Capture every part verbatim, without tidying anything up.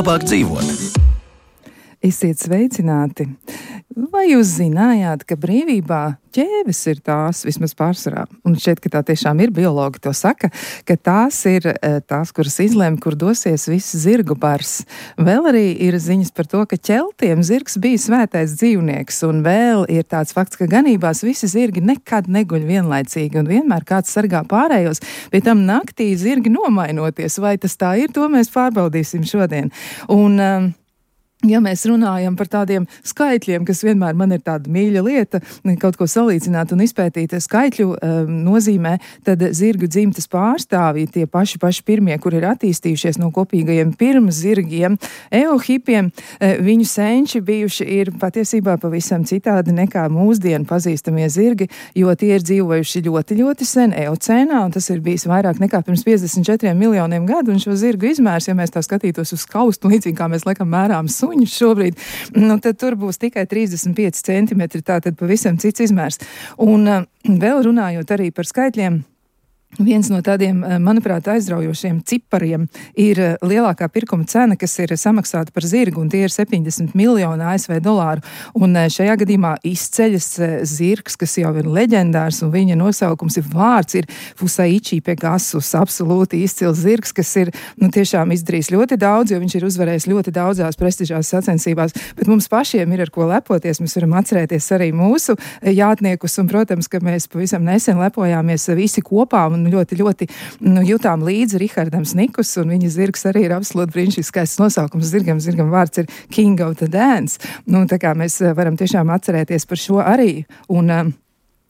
labāk dzīvot. Esiet sveicināti! Vai jūs zinājāt, ka brīvībā ķēves ir tās, vismaz pārsvarā, un šķiet, ka tā tiešām ir, biologi to saka, ka tās ir tās, kuras izlēma, kur dosies viss zirgu bars. Vēl arī ir ziņas par to, ka ķeltiem zirgs bija svētais dzīvnieks, un vēl ir tāds fakts, ka ganībās visi zirgi nekad neguļ vienlaicīgi, un vienmēr kāds sargā pārējos, pie tam naktī zirgi nomainoties. Vai tas tā ir, to mēs pārbaudīsim šodien. Un, um, Ja mēs runājam par tādiem skaitļiem, kas vienmēr man ir tāda mīļa lieta, kaut ko salīdzināt un izpētīt skaitļu um, nozīmē, tad zirgu dzimtas pārstāvji, tie paši paši pirmie, kur ir attīstījušies no kopīgajiem pirmzirgiem, eohipiem, viņu senči bijuši ir patiesībā pavisam citādi nekā mūsdienu pazīstamie zirgi, jo tie ir dzīvojuši ļoti, ļoti sen eocēnā, un tas ir bijis vairāk nekā pirms piecdesmit četriem miljoniem gadu, un šo zirgu izmērs, ja mēs tā skatītos uz skaustu, līdzīgi kā mēs laikam mērām suņus šobrīd, nu tad tur būs tikai trīsdesmit pieci centimetri, tātad pavisam cits izmērs. Un uh, vēl runājot arī par skaitļiem, viens no tādiem, manuprāt, aizraujošiem cipariem ir lielākā pirkuma cena, kas ir samaksāta par zirgu, un tie ir septiņdesmit miljoni A S V dolāru. Un šajā gadījumā izceļas zirgs, kas jau ir leģendārs, un viņa nosaukums ir vārds, ir Fusaichi Pegasus, absolūti izcils zirgs, kas ir, nu, tiešām izdarījis ļoti daudz, jo viņš ir uzvarējis ļoti daudzās prestižās sacensībās, bet mums pašiem ir ar ko lepoties, mēs varam atcerēties arī mūsu jātniekus, un, protams, ka mēs pavisam nesen lepojāmies visi kopā, un ļoti, ļoti nu, jutām līdzi Rihardam Snikus, un viņa zirgs arī ir absolūti brīnišķīgs skaists nosaukums zirgam. Zirgam vārds ir King of the Dance. Nu, tā kā mēs varam tiešām atcerēties par šo arī. Un, um,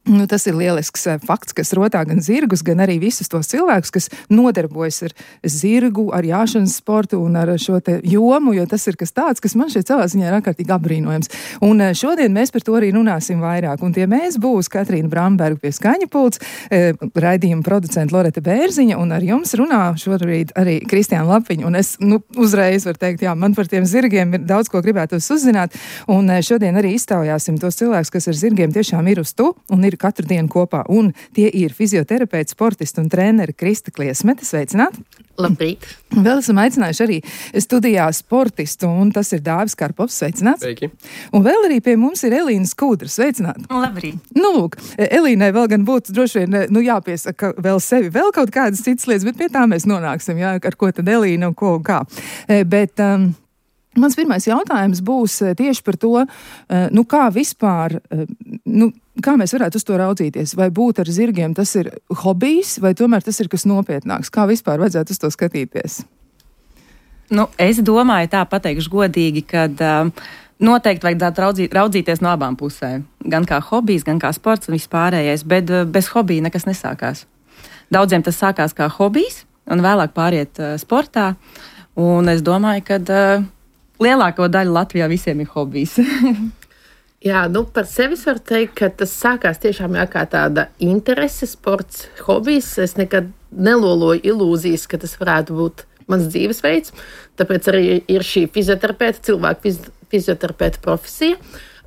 Nu, tas ir lielisks fakts, kas rotā gan zirgus, gan arī visus tos cilvēkus, kas nodarbojas ar zirgu, ar jāšanas sportu un ar šo te jomu, jo tas ir kas tāds, kas man šeit savā ziņā ir ārkārtīgi apbrīnojams. Un šodien mēs par to arī runāsim vairāk. Un tie mēs būs Katrīna Bramberga pie skaņa pults, raidījuma producenta Loreta Bērziņa, un ar jums runā šobrīd arī Kristiāna Lapiņa. Un es nu, uzreiz varu teikt, jā, man par tiem zirgiem ir daudz ko gribētos uzzināt. Un šodien arī iztaujāsim tos cilvēkus, kas ar zirgiem tiešām ir uz tu un ir katru dienu kopā. Un tie ir fizioterapeits, sportisti un treneri Krista Kliesmete. Sveicināti! Labrīt! Vēl esam aicinājuši arī studijā sportistu, un tas ir Dāvis Karpovs. Sveicināts! Sveiki! Un vēl arī pie mums ir Elīna Skudra. Sveicināti! Labrīt! Nu, lūk, Elīnai vēl gan būtu droši vien, nu, jāpiesaka vēl sevi, vēl kaut kādas citas lietas, bet pie tā mēs nonāksim, jā, ar ko tad Elīna un ko un kā. Bet, um, mans pirmais jautājums būs tieši par to, nu, kā vispār, nu, kā mēs varētu uz to raudzīties? Vai būt ar zirgiem tas ir hobijs, vai tomēr tas ir kas nopietnāks? Kā vispār vajadzētu uz to skatīties? Nu, es domāju, tā pateikšu godīgi, kad um, noteikti vajadzētu raudzīt, raudzīties no abām pusēm. Gan kā hobijs, gan kā sports un vispārējais, bet uh, bez hobija nekas nesākās. Daudziem tas sākās kā hobijs un vēlāk pāriet uh, sportā. Un es domāju, ka uh, lielāko daļu Latvijā visiem ir hobijs. Jā, nu par sevi varu teikt, ka tas sākās tiešām jā, kā tāda interese, sports, hobijs. Es nekad neloloju ilūzijas, ka tas varētu būt mans dzīvesveids. Tāpēc arī ir šī fizioterapeita, cilvēku fiz, fizioterapeita profesija.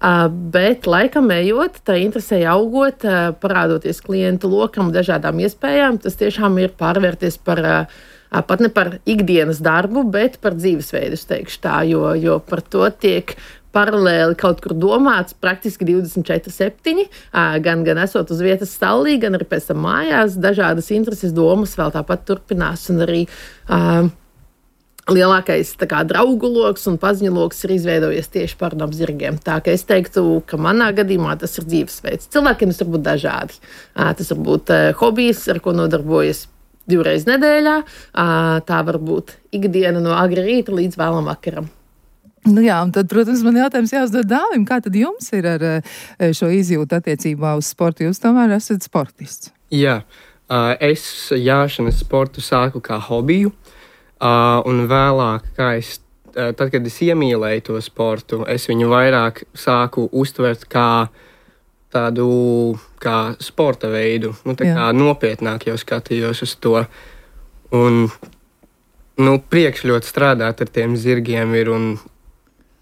Uh, bet laikam ejot, tā interesēja augot, uh, parādoties klientu lokam, dažādām iespējām. Tas tiešām ir pārvērties par, uh, pat ne par ikdienas darbu, bet par dzīvesveidu, es teikšu tā, jo, jo par to tiek paralēli kaut kur domāts praktiski divdesmit četri septiņi, gan, gan esot uz vietas stallī, gan arī pēc tam mājās. Dažādas intereses domas vēl tāpat turpinās, un arī uh, lielākais tā kā draugu loks un paziņu loks ir izveidojies tieši par no zirgiem. Tā ka es teiktu, ka manā gadījumā tas ir dzīvesveids. Cilvēkiem tas var būt dažādi. Uh, tas var būt uh, hobijs, ar ko nodarbojas divreiz nedēļā. Uh, tā var būt ikdiena no agri rīta līdz vēlam vakaram. Nu jā, un tad, protams, man jautājums jāuzdod Dāvim, kā tad jums ir ar šo izjūtu attiecībā uz sportu? Jūs tomēr esat sportists. Jā, es jāšanas sportu sāku kā hobiju, un vēlāk, kā es, tad, kad es iemīlēju to sportu, es viņu vairāk sāku uztvert kā tādu kā sporta veidu, nu tā kā nopietnāk jau skatījos uz to. Un, nu, priekš ļoti strādāt ar tiem zirgiem ir un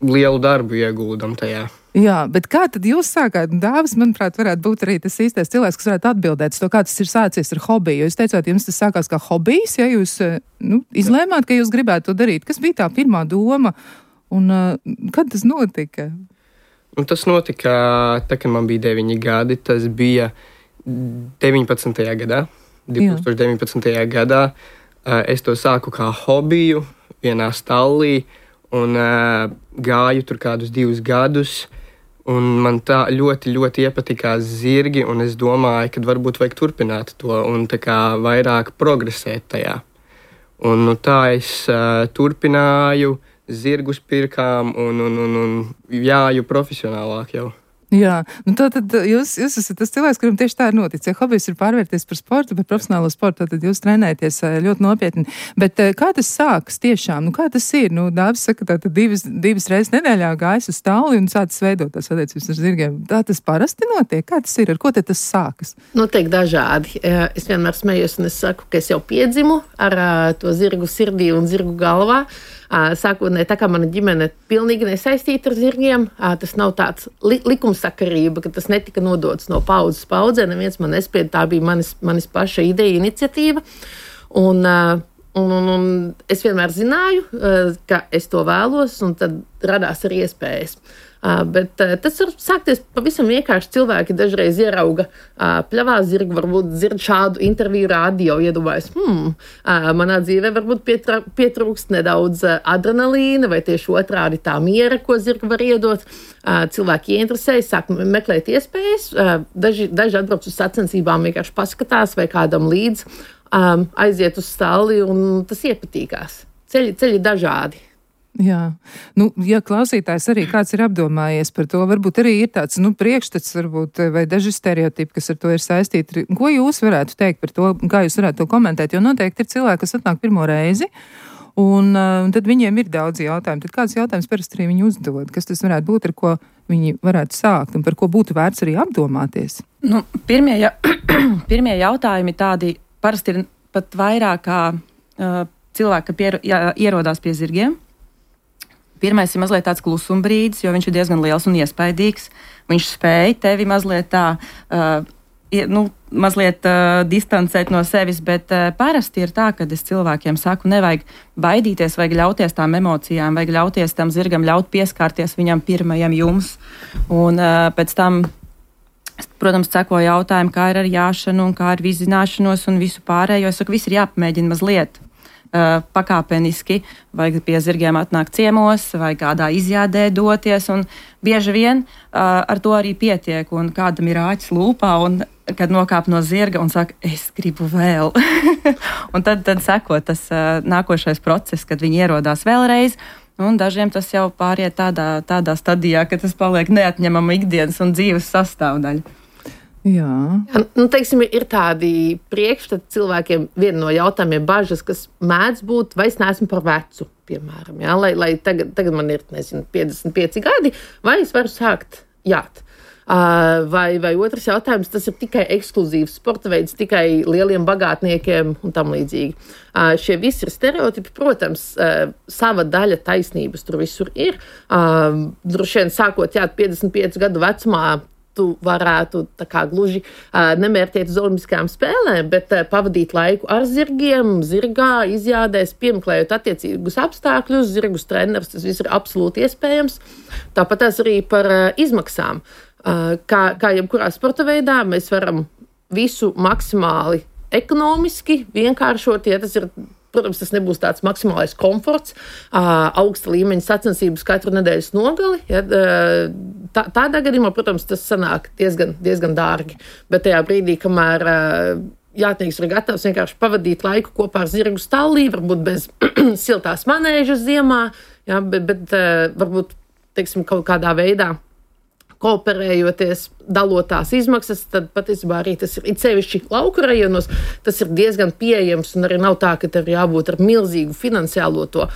lielu darbu ieguldam tajā. Jā, bet kā tad jūs sākāt? Dāvis, manuprāt, varētu būt arī tas īstais cilvēks, kas varētu atbildēt to, kā tas ir sācies ar hobiju. Jūs teicāt, jums tas sākās kā hobijs, ja jūs nu, izlēmāt, ka jūs gribētu to darīt. Kas bija tā pirmā doma un uh, kad tas notika? Un tas notika, tā, kad man bija deviņi gadi, tas bija deviņpadsmitajā gadā. divtūkstoš deviņpadsmitajā gadā uh, es to sāku kā hobiju vienā stallī un uh, gāju tur kādus divus gadus. Un man tā ļoti, ļoti iepatikās zirgi, un es domāju, ka varbūt vajag turpināt to un tā kā vairāk progresēt tajā. Un nu, tā es uh, turpināju, zirgus pirkām un, un, un, un jāju profesionālāk jau. Jā, nu tā tad jūs, jūs esat tas cilvēks, kuram tieši tā ir noticis. Ja hobijs ir pārvērties par sportu, par profesionālo sportu, tad jūs trenēties ļoti nopietni. Bet kā tas sākas tiešām? Nu kā tas ir? Nu, Dāvis saka, tā tad divas, divas reizes nedēļā gājas uz stāli un sācis veidot tās attiecības ar zirgiem. Tā tas parasti notiek? Kā tas ir? Ar ko tad tas sākas? Noteikti dažādi. Es vienmēr smējos un es saku, ka es jau piedzimu ar to zirgu sirdī un zirgu galvā. Sākotnēji, tā kā mana ģimene pilnīgi nesaistīta ar zirgiem, tas nav tāds li likumsakarība, ka tas netika nodots no paudzes paudzē, neviens man nespieda, tā bija manis, manis paša ideja, iniciatīva. Un, un, un, un es vienmēr zināju, ka es to vēlos, un tad radās arī iespējas. Uh, bet uh, tas var sākties pavisam vienkārši. Cilvēki dažreiz ierauga uh, pļavā zirgu, varbūt dzird šādu interviju rādio, iedomājas, hmm, uh, manā dzīvē varbūt pietra, pietrūkst nedaudz uh, adrenalīna, vai tieši otrādi tā miera, ko zirga var iedot. Uh, cilvēki ieinteresējas, sāk meklēt iespējas, uh, daži, daži atbrauc uz sacensībām, vienkārši paskatās vai kādam līdz, um, aiziet uz stalli, un tas iepatīkās. Ceļi, ceļi dažādi. Jā, nu, ja klausītājs arī kāds ir apdomājies par to, varbūt arī ir tāds, nu, priekšstats, varbūt, vai daži stereotipi, kas ar to ir saistīti. Ko jūs varētu teikt par to, kā jūs varētu to komentēt? Jo noteikti ir cilvēki, kas atnāk pirmo reizi, un, un tad viņiem ir daudz jautājumu. Tad kāds jautājums parasti arī viņi uzdod? Kas tas varētu būt, ar ko viņi varētu sākt, un par ko būtu vērts arī apdomāties? Nu, pirmie, ja, pirmie jautājumi tādi parasti ir pat vairāk kā uh, cilvēki, ka pier, jā, ierodās pie zirgiem. Pirmais ir mazliet tāds klusuma brīdis, jo viņš ir diezgan liels un iespaidīgs. Viņš spēj tevi mazliet tā, uh, nu, mazliet uh, distancēt no sevis, bet uh, parasti ir tā, kad es cilvēkiem saku, nevajag baidīties, vajag ļauties tām emocijām, vajag ļauties tam zirgam, ļaut pieskārties viņam pirmajam jums. Un uh, pēc tam, protams, seko jautājumu, kā ir ar jāšanu un kā ar vizināšanos un visu pārējo. Es saku, viss ir jāpamēģina mazliet. Uh, pakāpeniski, vai pie zirgiem atnākt ciemos, vai kādā izjādē doties, un bieži vien uh, ar to arī pietiek, un kādam ir āķis lūpā, un kad nokāp no zirga un saka, es gribu vēl. Un tad, tad seko tas uh, nākošais process, kad viņi ierodās vēlreiz, un dažiem tas jau pāriet tādā, tādā stadijā, ka tas paliek neatņemama ikdienas un dzīves sastāvdaļa. Jā. Ja, nu, teiksim, ir tādi priekšstati cilvēkiem, viena no jautājumiem bažas, kas mēdz būt, vai es neesmu par vecu, piemēram, ja? lai, lai tagad, tagad man ir, nezinu, piecdesmit pieci gadi, vai es varu sākt jāt. Uh, vai, vai otrs jautājums, tas ir tikai ekskluzīvs sporta veids, tikai lieliem bagātniekiem un tam līdzīgi. Uh, šie visi ir stereotipi, protams, uh, sava daļa taisnības tur visur ir. Uh, droši vien sākot jāt piecdesmit pieci gadu vecumā, tu varētu tā kā gluži uh, nemērķēt uz olimpiskajām spēlēm, bet uh, pavadīt laiku ar zirgiem, zirgā, izjādēs, piemeklējot attiecīgus apstākļus, zirgus treneris, tas viss ir absolūti iespējams. Tāpat arī par uh, izmaksām. Uh, kā, kā jebkurā sporta veidā, mēs varam visu maksimāli ekonomiski vienkāršot, ja tas ir. Protams, tas nebūs tāds maksimālais komforts, augsta līmeņa sacensības katru nedēļas nogali. Ja, tā, tādā gadījumā, protams, tas sanāk diezgan, diezgan dārgi. Bet tajā brīdī, kamēr jātnieks ir gatavs vienkārši pavadīt laiku kopā ar zirgu stallī, varbūt bez siltās manēžas ziemā, ja, bet, bet varbūt, teiksim, kaut kādā veidā kooperējoties, dalot tās izmaksas, tad patiesībā arī tas ir sevišķi lauku rajonos, tas ir diezgan pieejams un arī nav tā, ka tev jābūt ar milzīgu finansiālo to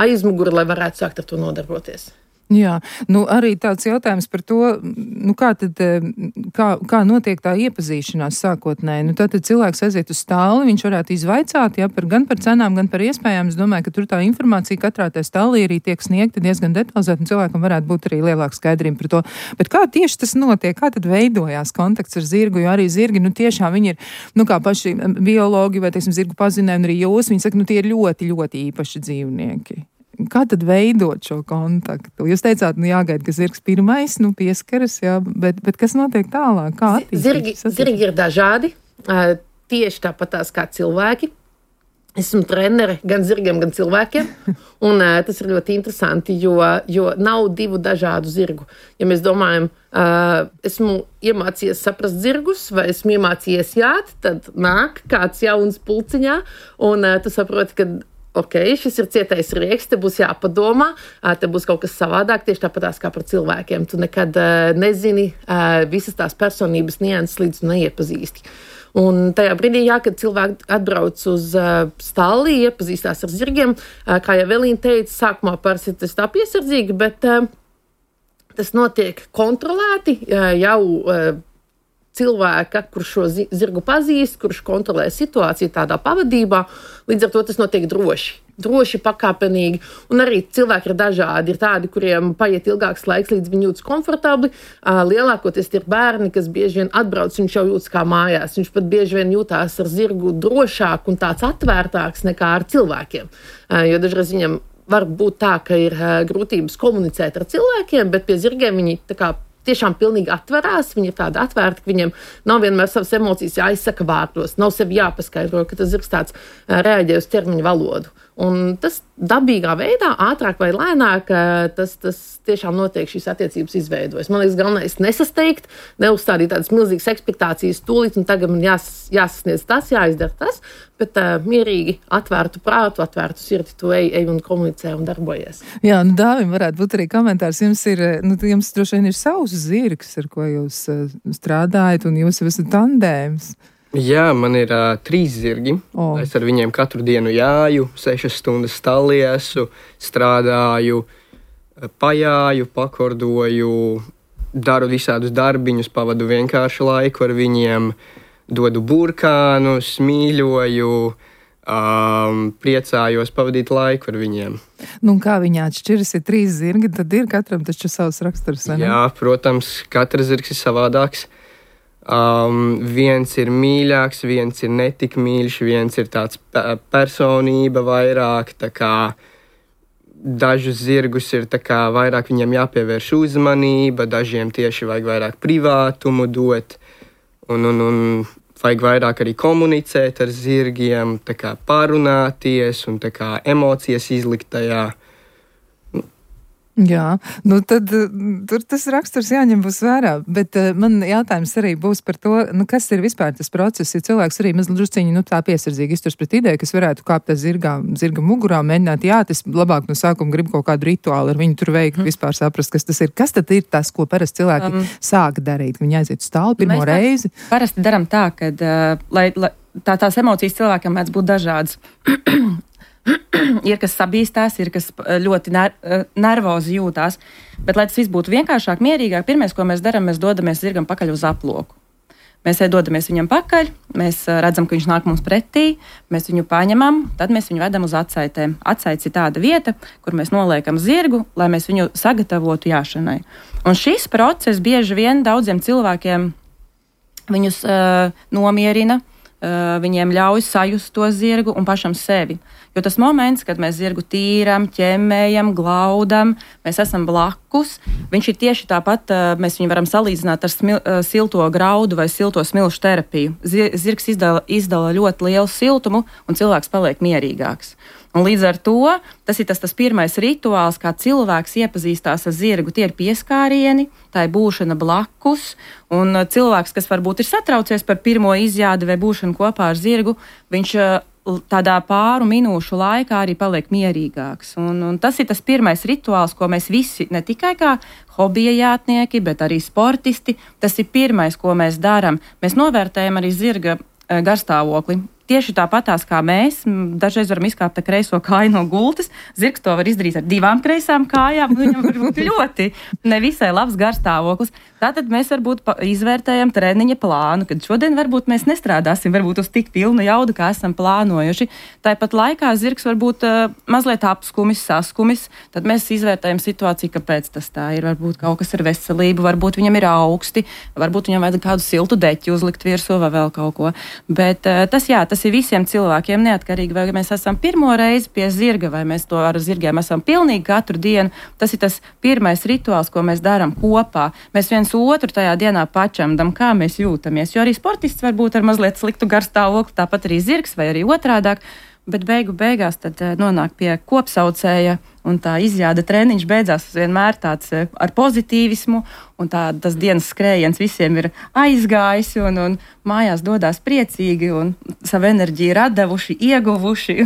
aizmuguri, lai varētu sākt ar to nodarboties. Jā, nu arī tāds jautājums par to, nu kā tad, kā, kā notiek tā iepazīšanās sākotnēji. Nu tātad cilvēks aiziet uz stāli, viņš varētu izvaicāt, jā, par, gan par cenām, gan par iespējām. Es domāju, ka tur tā informācija katrā tā stālī arī tiek sniegta diezgan detalizēta, un cilvēkam varētu būt arī lielāka skaidrība par to. Bet kā tieši tas notiek? Kā tad veidojās kontakts ar zirgu? Jo arī zirgi, nu tiešām viņi ir, nu kā paši biologi vai, teiksim, zirgu pazinēji, un arī jūs, viņi saka, nu tie ir ļoti, ļoti īpaši dzīvnieki. Kā tad veidot šo kontaktu? Jūs teicāt, nu jāgaida, ka zirgs pirmais, nu pieskaras, jā, bet, bet kas notiek tālāk? Kā zirgi, zirgi ir dažādi, tieši tāpatās kā cilvēki. Esmu trenere gan zirgiem, gan cilvēkiem, un tas ir ļoti interesanti, jo, jo nav divu dažādu zirgu. Ja mēs domājam, esmu iemācījies saprast zirgus, vai esmu iemācījies jāt, tad nāk kāds jauns pulciņā, un tu saproti, ka ok, šis ir cietais rieks, te būs jāpadomā, te būs kaut kas savādāk, tieši tāpatās kā par cilvēkiem. Tu nekad nezini visas tās personības nianses, līdz tu neiepazīsti. Un tajā brīdī, jā, kad cilvēki atbrauc uz stalli, iepazīstās ar zirgiem, kā jau Evelīna teica, sākumā parasti tas tā piesardzīgi, bet tas notiek kontrolēti jau cilvēka, kurš šo zirgu pazīst, kurš kontrolē situāciju tādā pavadībā, līdz ar to tas notiek droši. Droši, pakāpenīgi, un arī cilvēki ir dažādi. Ir tādi, kuriem paiet ilgāks laiks, līdz viņi jūtas komfortabli. Lielākoties ir bērni, kas bieži vien atbrauc, viņš jau jūtas kā mājās. Viņš pat bieži vien jūtās ar zirgu drošāk un tāds atvērtāks nekā ar cilvēkiem. Jo dažreiz viņam var būt tā, ka ir grūtības komunicēt ar cilvēkiem, bet pie zirgiem viņi tā kā tiešām pilnīgi atverās, viņi ir tādi atvērti, ka viņiem nav vienmēr savas emocijas jāizsaka vārdos, nav sevi jāpaskaidro, ka tas zirgs tāds reaģē uz ķermeņa valodu. Un tas dabīgā veidā, ātrāk vai lēnāk, tas, tas tiešām notiek, šīs attiecības izveidojas. Man liekas, galvenais nesasteigt, neuzstādīt tādas milzīgas ekspektācijas tūlīt, un tagad man jās, jāsasniedz tas, jāizdara tas, bet uh, mierīgi atvērtu prātu, atvērtu sirdi, tu ej, ej un komunicē un darbojies. Jā, nu Dāvim varētu būt arī komentārs. Jums ir, nu jums droši vien ir savs zirgs, ar ko jūs uh, strādājat, un jūs esat tandēms. Jā, man ir uh, trīs zirgi. Oh. Es ar viņiem katru dienu jāju, sešas stundas stallī esmu, strādāju, pajāju, pakordoju, daru visādus darbiņus, pavadu vienkāršu laiku ar viņiem, dodu burkānus, mīļoju, um, priecājos pavadīt laiku ar viņiem. Nu, kā viņi atšķiras, ir trīs zirgi, tad ir katram taču savs raksturs, vai ne? Jā, protams, katrs zirgs ir savādāks. Um, viens ir mīļāks, viens ir netik mīļš, viens ir tāds pe- personība vairāk, tā kā dažus zirgus ir tā kā vairāk viņiem jāpievērš uzmanība, dažiem tieši vajag vairāk privātumu dot, un, un, un vajag vairāk arī komunicēt ar zirgiem, tā kā parunāties un tā kā emocijas izlikt tajā. Jā, nu tad tur tas raksturs jāņem būs vērā, bet uh, man jautājums arī būs par to, nu kas ir vispār tas process, ja cilvēks arī mazliet drusciņi, nu tā piesardzīgi izturs pret ideju, kas varētu kāpt ar zirgā, zirga mugurā, mēģināt, jā, tas labāk no sākuma grib kaut kādu rituālu ar viņu tur veikt, mm. vispār saprast, kas tas ir. Kas tad ir tas, ko parasti cilvēki um, sāk darīt, ka viņi aiziet uz stāli pirmo reizi? Parasti daram tā, ka uh, lai, lai, tā, tās emocijas cilvēkam mēdz būt dažādas. Ir kas sabīstās, ir kas ļoti ner nervozi jūtās. Bet, lai tas viss būtu vienkāršāk, mierīgāk, pirmais, ko mēs darām, mēs dodamies zirgam pakaļ uz aploku. Mēs dodamies viņam pakaļ, mēs redzam, ka viņš nāk mums pretī, mēs viņu paņemam, tad mēs viņu vedam uz atsaitēm. Atsaits ir tāda vieta, kur mēs noliekam zirgu, lai mēs viņu sagatavotu jāšanai. Un šis process bieži vien daudziem cilvēkiem viņus uh, nomierina, uh, viņiem ļauj sajust to zirgu un pašam sevi. Jo tas moments, kad mēs zirgu tīram, ķemmējam, glaudam, mēs esam blakus, viņš ir tieši tāpat, mēs viņu varam salīdzināt ar smil, silto graudu vai silto smilšu terapiju. Zirgs izdala, izdala ļoti lielu siltumu un cilvēks paliek mierīgāks. Un līdz ar to tas ir tas, tas pirmais rituāls, kā cilvēks iepazīstās ar zirgu. Tie ir pieskārieni, tā ir būšana blakus, un cilvēks, kas varbūt ir satraucies par pirmo izjādi vai būšanu kopā ar zirgu, viņš tādā pāru minūšu laikā arī paliek mierīgāks. Un, un tas ir tas pirmais rituāls, ko mēs visi, ne tikai kā hobija jātnieki, bet arī sportisti, tas ir pirmais, ko mēs darām. Mēs novērtējam arī zirga garstāvokli. tieši tāpatās kā mēs, dažreiz varam izkāpt ar kreiso kāju no gultas, zirgs to var izdarīt ar divām kreisām kājām, viņam var būt ļoti nevisai labs garstāvoklis. Tātad mēs varbūt izvērtējam treniņa plānu, kad šodien varbūt mēs nestrādāsim varbūt uz tik pilnu jaudu, kā esam plānojuši. Tāpat laikā zirgs varbūt uh, mazliet apskumis, saskumis, tad mēs izvērtējam situāciju, kāpēc tas tā ir. Varbūt kaut kas ar veselību, varbūt viņam ir augsti, varbūt viņam vajag kādu siltu deķi uzlikt virsū vai vēl kaut ko. Bet uh, tas jā, tas ir visiem cilvēkiem neatkarīgi, vai mēs esam pirmo reizi pie zirga, vai mēs to ar zirgiem esam pilnīgi katru dienu. Tas ir tas pirmais rituāls, ko mēs darām kopā. Mēs viens otru tajā dienā pačamdam, kā mēs jūtamies, jo arī sportists var būt ar mazliet sliktu garstāvokli, tāpat arī zirgs vai arī otrādāk, bet beigu beigās tad nonāk pie kopsaucēja un tā izjāda treniņš beidzās vienmēr tāds ar pozitīvismu un tā tas dienas skrējiens visiem ir aizgājis un, un mājās dodās priecīgi un savu enerģiju radavuši, ieguvuši.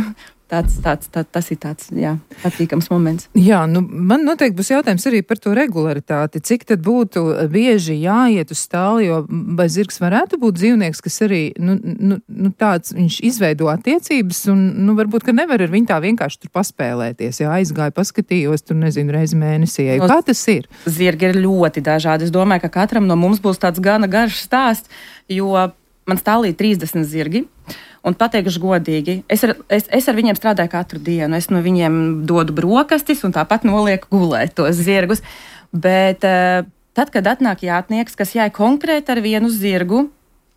Tāds, tāds, tā, tas ir tāds, jā, patīkams moments. Jā, nu, man noteikti būs jautājums arī par to regularitāti. Cik tad būtu bieži jāiet uz stāli, jo vai zirgs varētu būt dzīvnieks, kas arī, nu, nu, nu tāds, viņš izveido attiecības un, nu, varbūt, ka nevar ar viņu tā vienkārši tur paspēlēties. Jā, aizgāju, paskatījos, tur, nezinu, reizi mēnesī. Kā tas ir? Zirgi ir ļoti dažādi. Es domāju, ka katram no mums būs tāds gana garš stāsts, jo man stālī trīsdesmit zirgi. Un pateikšu godīgi, es ar, es, es ar viņiem strādāju katru dienu. Es no viņiem dodu brokastis un tāpat nolieku gulēt tos zirgus. Bet uh, tad, kad atnāk jātnieks, kas jāj konkrēti ar vienu zirgu,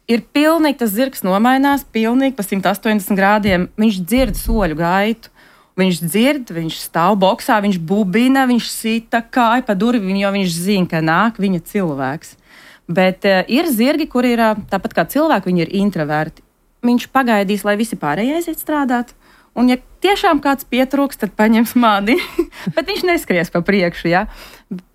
ir pilnīgi tas zirgs nomainās, pilnīgi pa simt astoņdesmit grādiem. Viņš dzird soļu gaitu. Viņš dzird, viņš stāv boksā, viņš bubina, viņš sita kāju pa durvīm, jo viņš zina, ka nāk viņa cilvēks. Bet uh, ir zirgi, kuri ir uh, tāpat kā cilvēki, viņi ir introverti. Viņš pagaidīs, lai visi pārējie aiziet strādāt. Un, ja tiešām kāds pietrūks, tad paņems mani. Bet viņš neskries pa priekšu. Ja?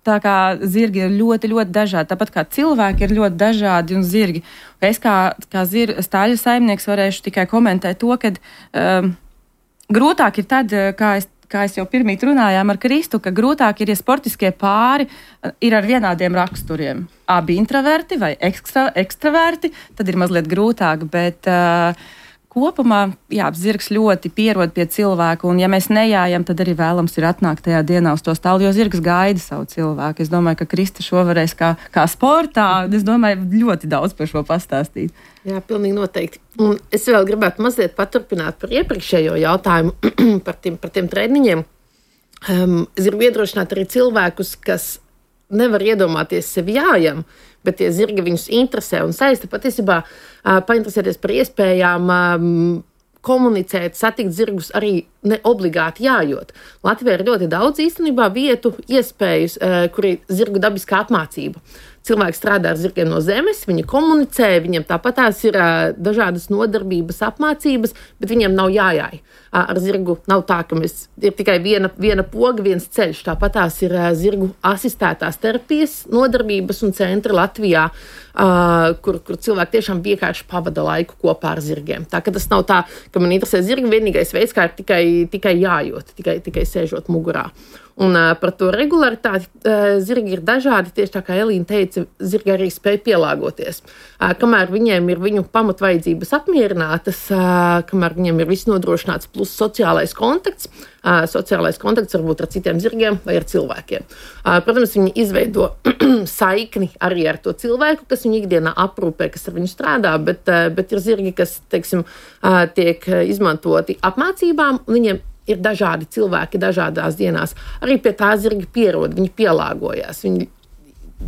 Tā kā zirgi ir ļoti, ļoti dažādi. Tāpat kā cilvēki ir ļoti dažādi un zirgi. Es kā, kā zir, stāļu saimnieks varēšu tikai komentēt to, ka um, grūtāk ir tad, kā es, kā es jau pirmīt runājām ar Kristu, ka grūtāk ir, ja sportiskie pāri ir ar vienādiem raksturiem. Abi introverti vai ekstra, ekstraverti, tad ir mazliet grūtāk, bet uh, kopumā, jā, zirgs ļoti pierod pie cilvēku, un ja mēs nejājam, tad arī vēlams ir atnākt tajā dienā uz to stāli, jo zirgs gaida savu cilvēku. Es domāju, ka Krista šo varēs kā, kā sportā, es domāju, ļoti daudz par šo pastāstīt. Jā, pilnīgi noteikti. Un es vēl gribētu mazliet paturpināt par iepriekšējo jautājumu par tiem, par tiem treniņiem. Um, es gribu iedrošināt arī cilvēkus, kas nevar iedomāties sevi jājam, bet tie zirgi viņus interesē un saista patiesībā uh, painteresēties par iespējām um, komunicēt, satikt zirgus arī ne obligāti jājot. Latvijā ir ļoti daudz īstenībā vietu, iespējas, uh, kur ir zirgu dabiskā apmācība. Cilvēki strādā ar zirgiem no zemes, viņi komunicē, viņiem tāpatās ir uh, dažādas nodarbības, apmācības, bet viņiem nav jājāj. Uh, ar zirgu nav tā, ka mēs, ir tikai viena, viena poga, viens ceļš. Tāpatās ir uh, zirgu asistētās terapijas nodarbības un centri Latvijā, uh, kur, kur cilvēki tiešām vienkārši pavada laiku kopā ar zirgiem. Tā ka tas nav tā, ka man interesē zirgi, vienīgais veids, kā ir tikai, tikai jājot, tikai, tikai sēžot mugurā. Un uh, par to regularitāti uh, zirgi ir dažādi, tieši tā kā Elīna teica, zirgi arī spēj pielāgoties. Uh, kamēr viņiem ir viņu pamatvajadzības apmierinātas, uh, kamēr viņiem ir viss nodrošināts plus sociālais kontakts, uh, sociālais kontakts varbūt ar citiem zirgiem vai ar cilvēkiem. Uh, protams, viņi izveido saikni arī ar to cilvēku, kas viņu ikdienā aprūpē, kas ar viņu strādā, bet, uh, bet ir zirgi, kas, teiksim, uh, tiek izmantoti apmācībām, un viņiem ir dažādi cilvēki dažādās dienās. Arī pie tā zirgi pierod, viņi pielāgojās. Viņi,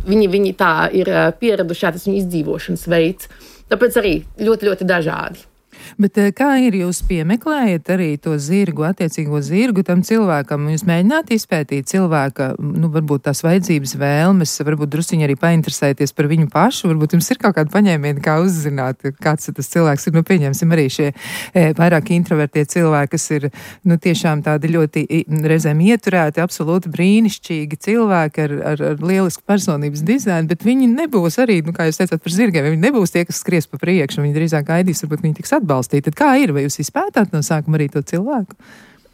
viņi, viņi tā ir pieraduši, tas viņu izdzīvošanas veids. Tāpēc arī ļoti, ļoti dažādi. Bet kā ir, jūs piemeklējat arī to zirgu, attiecīgo zirgu tam cilvēkam? Jūs mēģināt izpētīt cilvēka, nu, varbūt tās vajadzības, vēlmes, varbūt drusciņi arī painteresēties par viņu pašu, varbūt jums ir kaut kāda paņēmiena, kā uzzināt, kāds tas cilvēks ir. Nu, pieņemsim arī šie e, vairāk introvertie cilvēki, kas ir, nu, tiešām tādi ļoti reizēm ieturēti, absolūti brīnišķīgi cilvēki ar, ar, ar lielisku personības dizainu, bet viņi nebūs arī, nu, kā jūs teicāt par zirgiem, viņi nebūs tie, kas skries pa priekšu, viņi drīzāk gaidīs, varbūt viņi tiks atbalstīt. Tad kā ir? Vai jūs izpētāt no sākuma arī to cilvēku?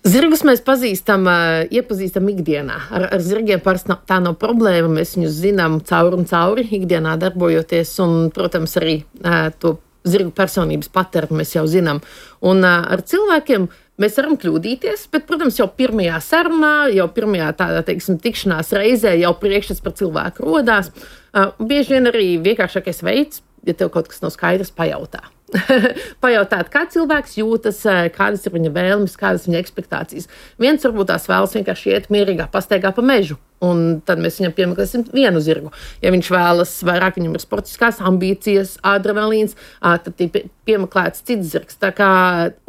Zirgus mēs pazīstam, iepazīstam ikdienā. Ar, ar zirgiem parasti tā nav problēma. Mēs viņus zinām cauri un cauri, ikdienā darbojoties. Un, protams, arī to zirgu personības patērnu mēs jau zinām. Un uh, ar cilvēkiem mēs varam kļūdīties, bet, protams, jau pirmajā sarunā, jau pirmajā tādā, teiksim, tikšanās reizē jau priekšstats par cilvēku rodās. Uh, bieži vien arī vienkāršākais veids, ja tev kaut kas nav skaidrs, pajautā. Pajautāt, kā cilvēks jūtas, kādas ir viņa vēlmes, kādas ir viņa ekspektācijas. Viens varbūt tās vēlas vienkārši iet mierīgā pastaigā pa mežu, un tad mēs viņam piemeklēsim vienu zirgu. Ja viņš vēlas vairāk, viņam ir sportiskās ambīcijas, adrenalīns, tad ir piemeklēts cits zirgs. Tā kā,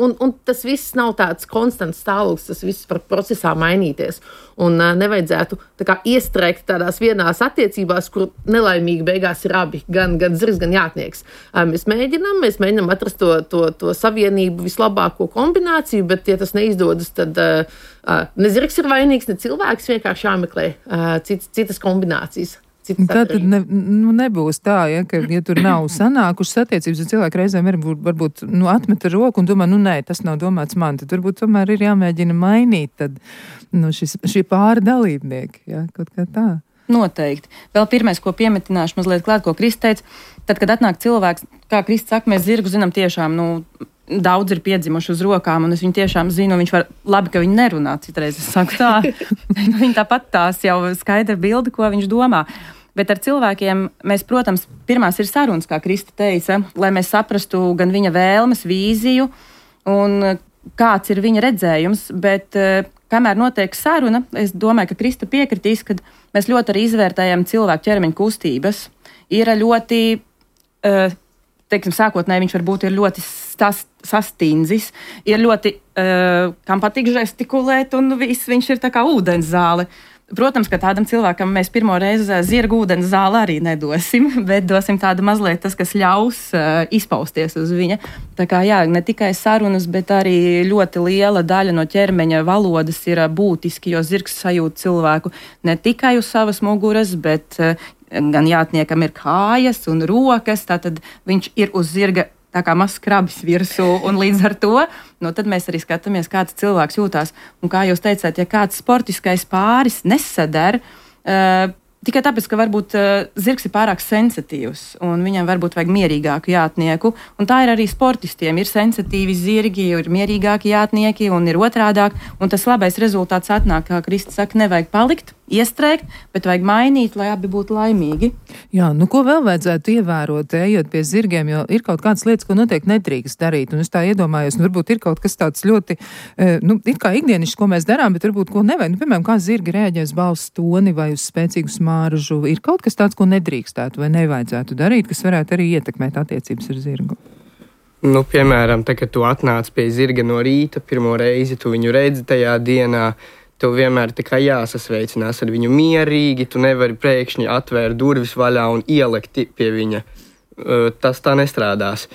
un, un tas viss nav tāds konstants stāvoklis, tas viss var procesā mainīties. Un nevajadzētu tā kā iestrēgt tādās vienās attiecībās, kur nelaimīgi beigās ir abi, gan, gan zirgs, gan jātnieks. Mēs mēģinām, mēs mēģinām atrast to, to, to savienību, vislabāko kombināciju, bet, ja tas neizdodas, tad uh, ne zirgs ir vainīgs, ne cilvēks, vienkārši jāmeklē uh, citas, citas kombinācijas. Tā tad ne, nu, nebūs tā, ja, ka, ja tur nav sanākušas attiecības, tad cilvēki reizēm varbūt, varbūt nu, atmet ar roku un domā, nu nē, tas nav domāts man, tad varbūt tomēr ir jāmēģina mainīt tad, nu, šis, šī pāri dalībnieki, ja, kaut kā tā. Noteikti. Vēl pirmais, ko piemetināšu mazliet klāt, ko Krista teica, tad, kad atnāk cilvēks, kā Krista saka, mēs zirgu zinām tiešām, nu, daudz ir piedzimuši uz rokām, un es viņu tiešām zinu, viņš var, labi, ka viņi nerunā, citreiz es saku tā, viņi tāpat tās jau skaidra bildi, ko viņš domā. Bet ar cilvēkiem mēs, protams, pirmās ir sarunas, kā Krista teica, lai mēs saprastu gan viņa vēlmes, vīziju un kāds ir viņa redzējums, bet kamēr notiek saruna, es domāju, ka Krista piekritīs, ka mēs ļoti arī izvērtējam cilvēku ķermeņa kustības. Ir ļoti, teiksim, sākotnēji viņš varbūt ir ļoti stas, sastindzis, ir ļoti, kam patīk žestikulēt, un viss viņš ir tā kā ūdens zāle. Protams, ka tādam cilvēkam mēs pirmo reizi zirgu ūdens zāli arī nedosim, bet dosim tādu mazliet tas, kas ļaus uh, izpausties uz viņa. Tā kā jā, ne tikai sarunas, bet arī ļoti liela daļa no ķermeņa valodas ir būtiski, jo zirgs sajūt cilvēku ne tikai uz savas muguras, bet uh, gan jātniekam ir kājas un rokas, tātad viņš ir uz zirga tā kā mazs krabis virsū, un līdz ar to, nu, tad mēs arī skatāmies, kāds cilvēks jūtās. Un kā jūs teicāt, ja kāds sportiskais pāris nesadar, uh, tikai tāpēc, ka varbūt uh, zirgs ir pārāk sensitīvs, un viņam varbūt vajag mierīgāku jātnieku, un tā ir arī sportistiem. Ir sensitīvi zirgi, ir mierīgāki jātnieki, un ir otrādāk, un tas labais rezultāts atnāk, kā Krista saka, nevajag palikt, iestrēgt, bet vajag mainīt, lai abi būtu laimīgi. Jā, nu ko vēl vajadzētu ievērot, ejot pie zirgiem, jo ir kaut kādas lietas, ko noteikti nedrīkst darīt, un es tā iedomājos, nu varbūt ir kaut kas tāds ļoti, nu, ir kā ikdienišs, ko mēs darām, bet varbūt ko nevajag, nu, piemēram, kā zirgi rēģē uz balss toni vai uz spēcīgu smaržu, ir kaut kas tāds, ko nedrīkstētu vai nevajadzētu darīt, kas varētu arī ietekmēt attiecības ar zirgu. Nu, piemēram, tā, kad tu atnāc pie zirga no rīta, pirmo reizi tu viņu redzi tajā dienā, tev vienmēr tā kā jāsasveicinās ar viņu mierīgi, tu nevari pēkšņi atvērt durvis vaļā un ielikt pie viņa. Tas tā nestrādās.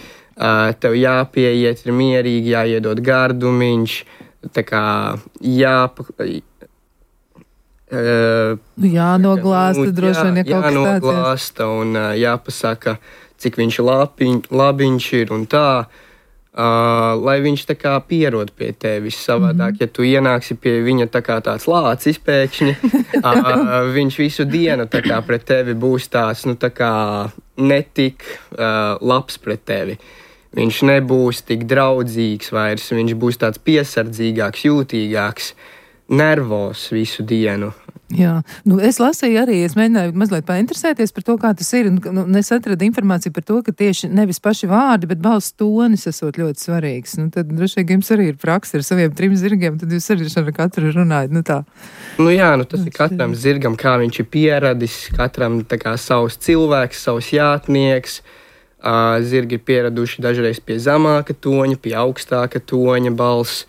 Tev jāpieiet, ir mierīgi, jāiedod gardumiņš, tā kā jāpa... Jānoglāsta, droši vien, ja kaut kas tāds. Jānoglāsta un jāpasaka, cik viņš labiņ, labiņš ir un tā. Uh, lai viņš tā kā pierod pie tevis savādāk, mm-hmm. ja tu ienāksi pie viņa tā kā tāds lācis pēkšņi, uh, viņš visu dienu tā kā pret tevi būs tāds, nu tā kā netik uh, labs pret tevi. Viņš nebūs tik draudzīgs vairs, viņš būs tāds piesardzīgāks, jūtīgāks, nervos visu dienu. Jā, nu es lasīju arī, es mēģināju mazliet painteresēties par to, kā tas ir, un nu, es atradu informāciju par to, ka tieši nevis paši vārdi, bet balss tonis esot ļoti svarīgs. Nu tad droši vien jums arī ir praksa ar saviem trim zirgiem, tad jūs arī ar katru runājat, nu tā. Nu jā, nu tas ir katram zirgam, kā viņš ir pieradis, katram tā kā savs cilvēks, savs jātnieks. Uh, zirgi ir pieraduši dažreiz pie zemāka toņa, pie augstāka toņa balss.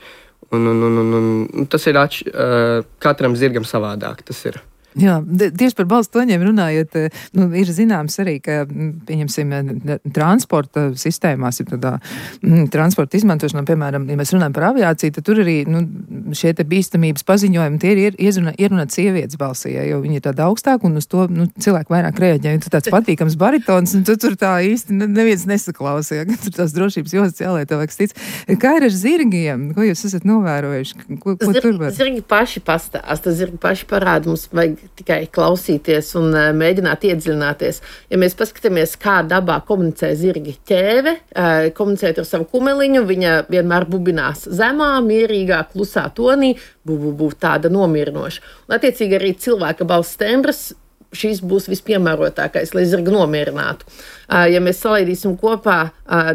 Un, un, un, un, un tas ir atš, uh, katram zirgam savādāk, tas ir. Jā, tieši par balss toņiem runājot, nu, ir zināms arī, ka, pieņemsim, transporta sistēmās, ir tādā m, transporta izmantošanā, piemēram, ja mēs runājam par aviāciju, tad tur arī, nu, šie te bīstamības paziņojumi, tie ir ierunāt ierunā sievietes balsī, ja, jo viņi ir tāda augstāka, un uz to, nu, cilvēki vairāk reaģē, un tu tāds patīkams baritons, un tu tur tā īsti neviens nesaklausīja, ka tur tās drošības jostas jālē, tev vajag stic. Kā ir ar zirgiem? Ko jūs esat novērojuši? Ko, ko Zirgi, tur var? Zirgi paši pastāsta, zirgi paši parāda, mums vajag tikai klausīties un uh, mēģināt iedziļināties. Ja mēs paskatāmies, kā dabā komunicē zirgi, ķēve, uh, komunicēt ar savu kumeliņu, viņa vienmēr bubinās zemā, mierīgā, klusā tonī, bubu būtu tāda nomierinoša. Un attiecīgi arī cilvēka balss tembrs, šīs būs vispiemērotākais, lai zirgu nomierinātu. Ja mēs salaidīsim kopā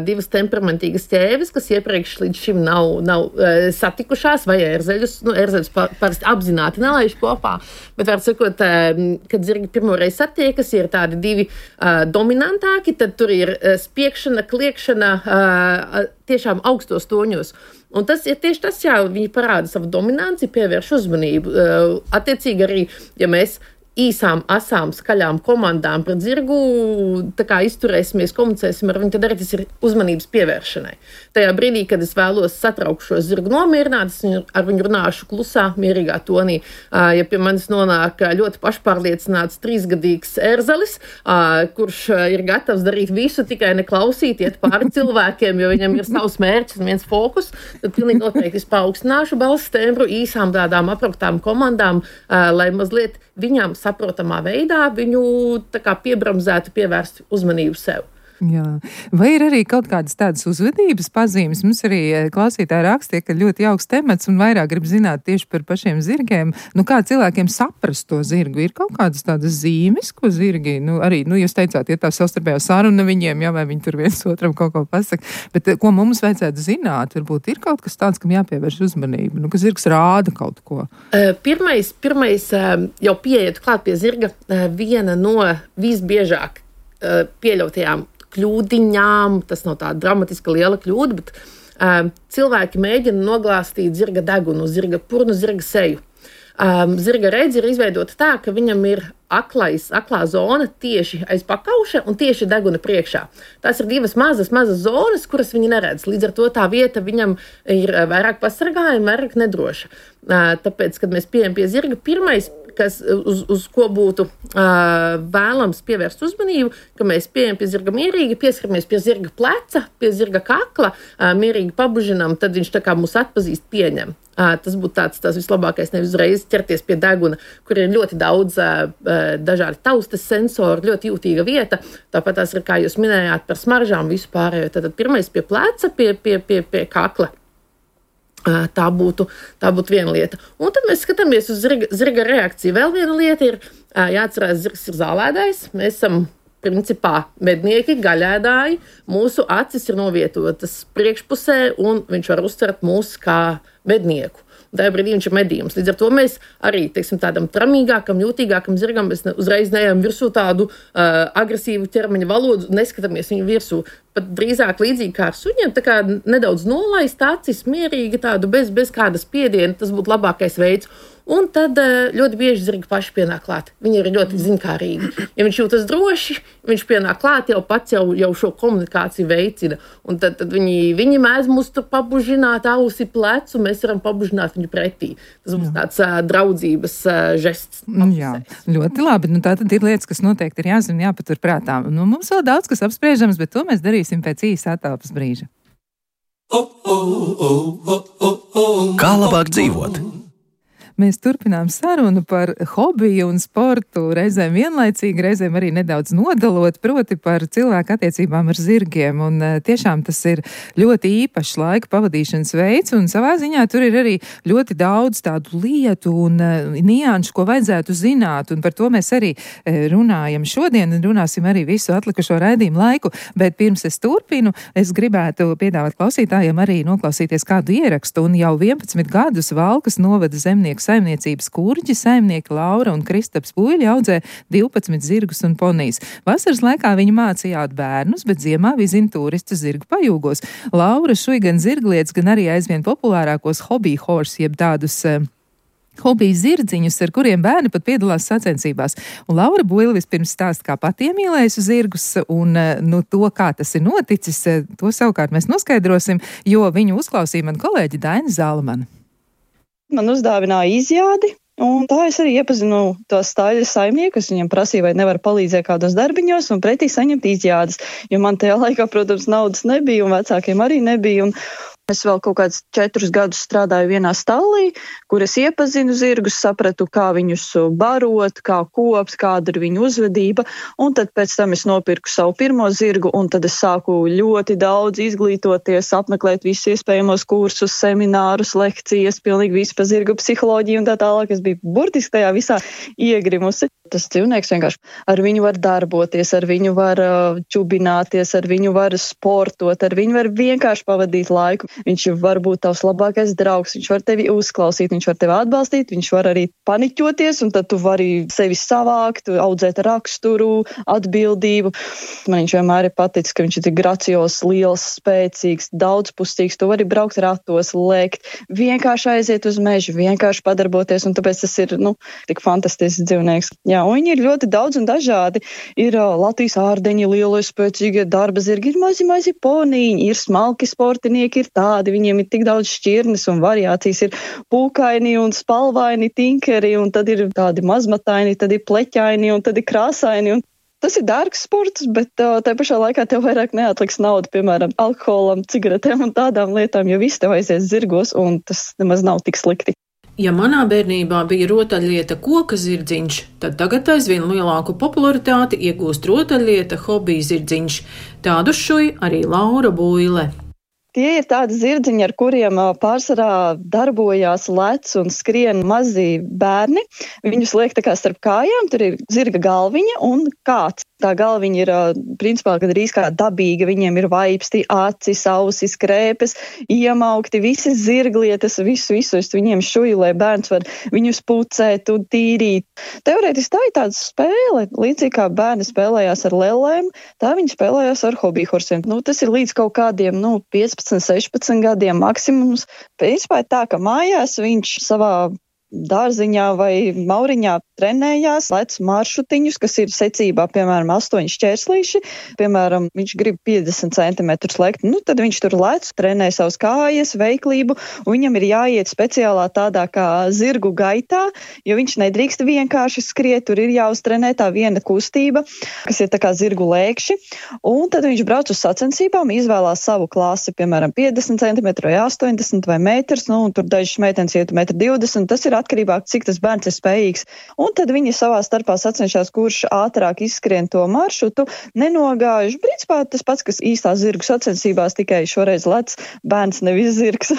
divas temperamentīgas ķēves, kas iepriekš līdz šim nav, nav satikušās, vai ērzeļus, nu, ērzeļus parasti apzināti nelaiž kopā, bet var sakot, kad zirgi pirmoreiz satiekas, ir tādi divi dominantāki, tad tur ir spiekšana, kliekšana tiešām augstos toņos. Un tas ir tieši tas, jā, viņi parāda savu dominanci, pievērš uzmanību. Attiecīgi arī, ja mēs īsām, asām, skaļām komandām pret zirgu, tā kā izturēsimies, komunicēsim ar viņu, tad arī tas ir uzmanības pievēršanai. Tajā brīdī, kad es vēlos satraukt šo zirgu nomierināt, es ar viņu runāšu klusā, mierīgā tonī. Ja pie manis nonāk ļoti pašpārliecināts trīsgadīgs ērzelis, kurš ir gatavs darīt visu, tikai neklausīt, iet pāri cilvēkiem, jo viņam ir savs mērķis un viens fokus, tad pilnīgi noteikti es paaugstināšu balss tembru īsām tādām apraktām komandām, lai mazliet viņam saprotamā veidā viņu tā kā piebramzētu, pievērst uzmanību sev. Jā. Vai ir arī kaut kādas tādas uzvedības pazīmes? Mums arī klausītāji rakstīja, ka ļoti jauks temats un vairāk grib zināt tieši par pašiem zirgiem. Nu, kā cilvēkiem saprast to zirgu? Ir kaut kādas tādas zīmes, ko zirgi, nu, arī, nu, jūs teicāt, ja tā savstarpējā saruna viņiem, jā, vai viņi tur viens otram kaut ko pasaka, bet ko mums vajadzētu zināt? Varbūt ir kaut kas tāds, kam jāpievērš uzmanību, nu, ka zirgs rāda kaut ko. Pirmais, pirmais jau pieejot klāt pie zirga, viena no visbiežāk pieļautajām kļūdiņām, tas nav tāda dramatiska liela kļūda, bet um, cilvēki mēģina noglāstīt zirga degunu, zirga purnu, zirga seju. Um, zirga redze ir izveidota tā, ka viņam ir aklais, aklā zona tieši aiz pakauša un tieši deguna priekšā. Tās ir divas mazas, mazas zonas, kuras viņi neredz. Līdz ar to tā vieta viņam ir vairāk pasargājuma, vairāk nedroša. Uh, tāpēc, kad mēs pieejam pie zirga, pirmais, kas, uz, uz ko būtu uh, vēlams pievērst uzmanību, ka mēs pieejam pie zirga mierīgi, pieskaramies pie zirga pleca, pie zirga kakla, uh, mierīgi pabužinam, tad viņš tā kā mūs atpazīst, pieņem. Uh, tas būtu tāds, tas vislabākais, nevis uzreiz ķerties pie deguna, kur ir ļoti daudz uh, dažādi taustas sensori, ļoti jūtīga vieta. Tāpat tās ir, kā jūs minējāt, par smaržām visu pārējo. Tad pirmais pie pleca, pie, pie, pie, pie kakla. Tā būtu, tā būtu viena lieta. Un tad mēs skatāmies uz zirga, zirga reakciju. Vēl viena lieta ir, jāatcerās, zirgs ir zālēdājs. Mēs esam principā mednieki, gaļēdāji. Mūsu acis ir novietotas priekšpusē, un viņš var uztvert mūs kā mednieku. Tajā brīdī viņš ir medījums. Līdz ar to mēs arī, teiksim, tādam tramīgākam, jūtīgākam zirgam, mēs ne, uzreiz neejam virsū tādu uh, agresīvu ķermeņa valodu, neskatāmies viņu virsū. Pat drīzāk līdzīgi kā ar suņiem, tā kā nedaudz nolaist acis, mierīgi tādu, bez, bez kāda spiediena, tas būtu labākais veids. Un tad ļoti bieži zirgi paši pienāk klāt. Viņi ir ļoti ziņkārīgi. Ja viņš jūtas droši, viņš pienāk klāt, jau pats jau, jau šo komunikāciju veicina. Un tad, tad viņi, viņi mēdz mūs tur pabužināt ausi plecu, mēs varam pabužināt viņu pretī. Tas būs tāds uh, draudzības uh, žests. Jā, ļoti labi. Nu, tā tad ir lietas, kas noteikti ir jāzina, jāpatur prātā. Nu, mums vēl daudz, kas apspriežams, bet to mēs darīsim pēc īsa attālpas brīža. Kā labāk dzīvot? Mēs turpinām sarunu par hobiju un sportu, reizēm vienlaicīgi, reizēm arī nedaudz nodalot, proti par cilvēku attiecībām ar zirgiem. Un tiešām tas ir ļoti īpašs laika pavadīšanas veids, un savā ziņā tur ir arī ļoti daudz tādu lietu un nianšu, ko vajadzētu zināt, un par to mēs arī runājam šodien, un runāsim arī visu atlikušo raidījumu laiku. Bet pirms es turpinu, es gribētu piedāvāt klausītājiem arī noklausīties kādu ierakstu, un jau vienpadsmit gadus Valkas novada zemnieku saimniecības kurģi, saimnieki Laura un Kristaps Puiļi audzē divpadsmit zirgus un ponijas. Vasaras laikā viņi mācījāt bērnus, bet ziemā vizina turistu zirgu pajūgos. Laura šuj gan zirglietas, gan arī aizvien populārākos hobby horse, jeb tādus uh, hobiju zirdziņus, ar kuriem bērni pat piedalās sacensībās. Un Laura Buila vispirms stāsta, kā pati iemīlējusi zirgus, un nu, to, kā tas ir noticis, to savukārt mēs noskaidrosim, jo viņu uzklausīja man kolēģi Daina Zālamana. Man uzdāvināja izjādi, un tā es arī iepazinu tos staļas saimniekus. Viņam prasīja, vai nevar palīdzēt kādos darbiņos un pretī saņemt izjādes. Jo man tajā laikā, protams, naudas nebija un vecākiem arī nebija. Un, Es vēl kaut kādus četrus gadus strādāju vienā stallī, kur es iepazinu zirgus, sapratu, kā viņus barot, kā kopt, kāda ir viņu uzvedība, un tad pēc tam es nopirku savu pirmo zirgu, un tad es sāku ļoti daudz izglītoties, apmeklēt visus iespējamos kursus, seminārus, lekcijas, pilnīgi visu par zirgu psiholoģiju un tā tālāk. Es biju burtiski tajā visā iegrimusi. Tas dzīvnieks vienkārši ar viņu var darboties, ar viņu var uh, čubināties, ar viņu var sportot, ar viņu var vienkārši pavadīt laiku. Viņš var būt tavs labākais draugs, viņš var tevi uzklausīt, viņš var tevi atbalstīt, viņš var arī paniķoties, un tad tu vari sevi savākt, audzēt raksturu, atbildību. Man viņš vienmēr ir paticis, ka viņš ir tik gracios, liels, spēcīgs, daudzpusīgs, tu vari braukt ratos, lēkt, vienkārši aiziet uz mežu, vienkārši padarboties, un tāpēc tas ir, nu, tik fantastisks dzīvnieks. Jā, un viņi ir ļoti daudz un dažādi. Ir uh, Latvijas ārdeņi, lielie spēcīgie darba zirgi, ir mazi, mazi ponīņi, ir smalki sportinieki, ir tādi, viņiem ir tik daudz šķirnes un variācijas, ir pūkaini un spalvaini tinkeri, un tad ir tādi mazmataini, tad ir pleķaini un tad ir krāsaini. Un tas ir dārgs sports, bet uh, tajā pašā laikā tev vairāk neatliks naudu, piemēram, alkoholam, cigaretēm un tādām lietām, jo viss tev aizies zirgos, un tas nemaz nav tik slikti. Ja manā bērnībā bija rotaļlieta koka zirdziņš, tad tagad aizvien lielāku popularitāti iegūst rotaļlieta hobija zirdziņš. Tādu šuj arī Laura Buile. Tie ir tādi zirdziņi, ar kuriem pārsvarā darbojās, lec un skrien mazi bērni. Viņus liek tā kā starp kājām, tur ir zirga galviņa un kāds. Tā galviņa ir, principā, gandrīz kā dabīga, viņiem ir vaipsti, acis, ausis, krēpes, iemaukti, visas zirglietas, visu, visu, es viņiem šuju, lai bērns var viņus pucēt un tīrīt. Teorētiski tā ir tāda spēle, līdzīgi kā bērni spēlējās ar lelēm, tā viņi spēlējās ar hobijhorsiem. Nu, tas ir līdz kaut kādiem, nu, piecpadsmit, sešpadsmit gadiem maksimums. Principā ir tā, ka mājās viņš savā dārziņā vai mauriņā trenējās, lec maršrutiņus, kas ir secībā, piemēram, astoņi šķērslīši, piemēram, viņš grib piecdesmit centimetrus lekt, nu, tad viņš tur lec, trenē savas kājas, veiklību, un viņam ir jāiet speciālā tādā kā zirgu gaitā, jo viņš nedrīkst vienkārši skriet, tur ir jāuztrenē tā viena kustība, kas ir tā kā zirgu lēkši, un tad viņš brauc uz sacensībām, izvēlās savu klasi, piemēram, piecdesmit centimetru vai astoņdesmit vai metrs, nu, un tur dažas meitenes iet metru divdesmit, tas ir atkarībā, cik tas bērns ir spējīgs. Un tad viņi savā starpā sacenšās, kurš ātrāk izskrien to maršrutu, nenogājuši. Principā tas pats, kas īstā zirgu sacensībās, tikai šoreiz lec bērns, nevis zirgs.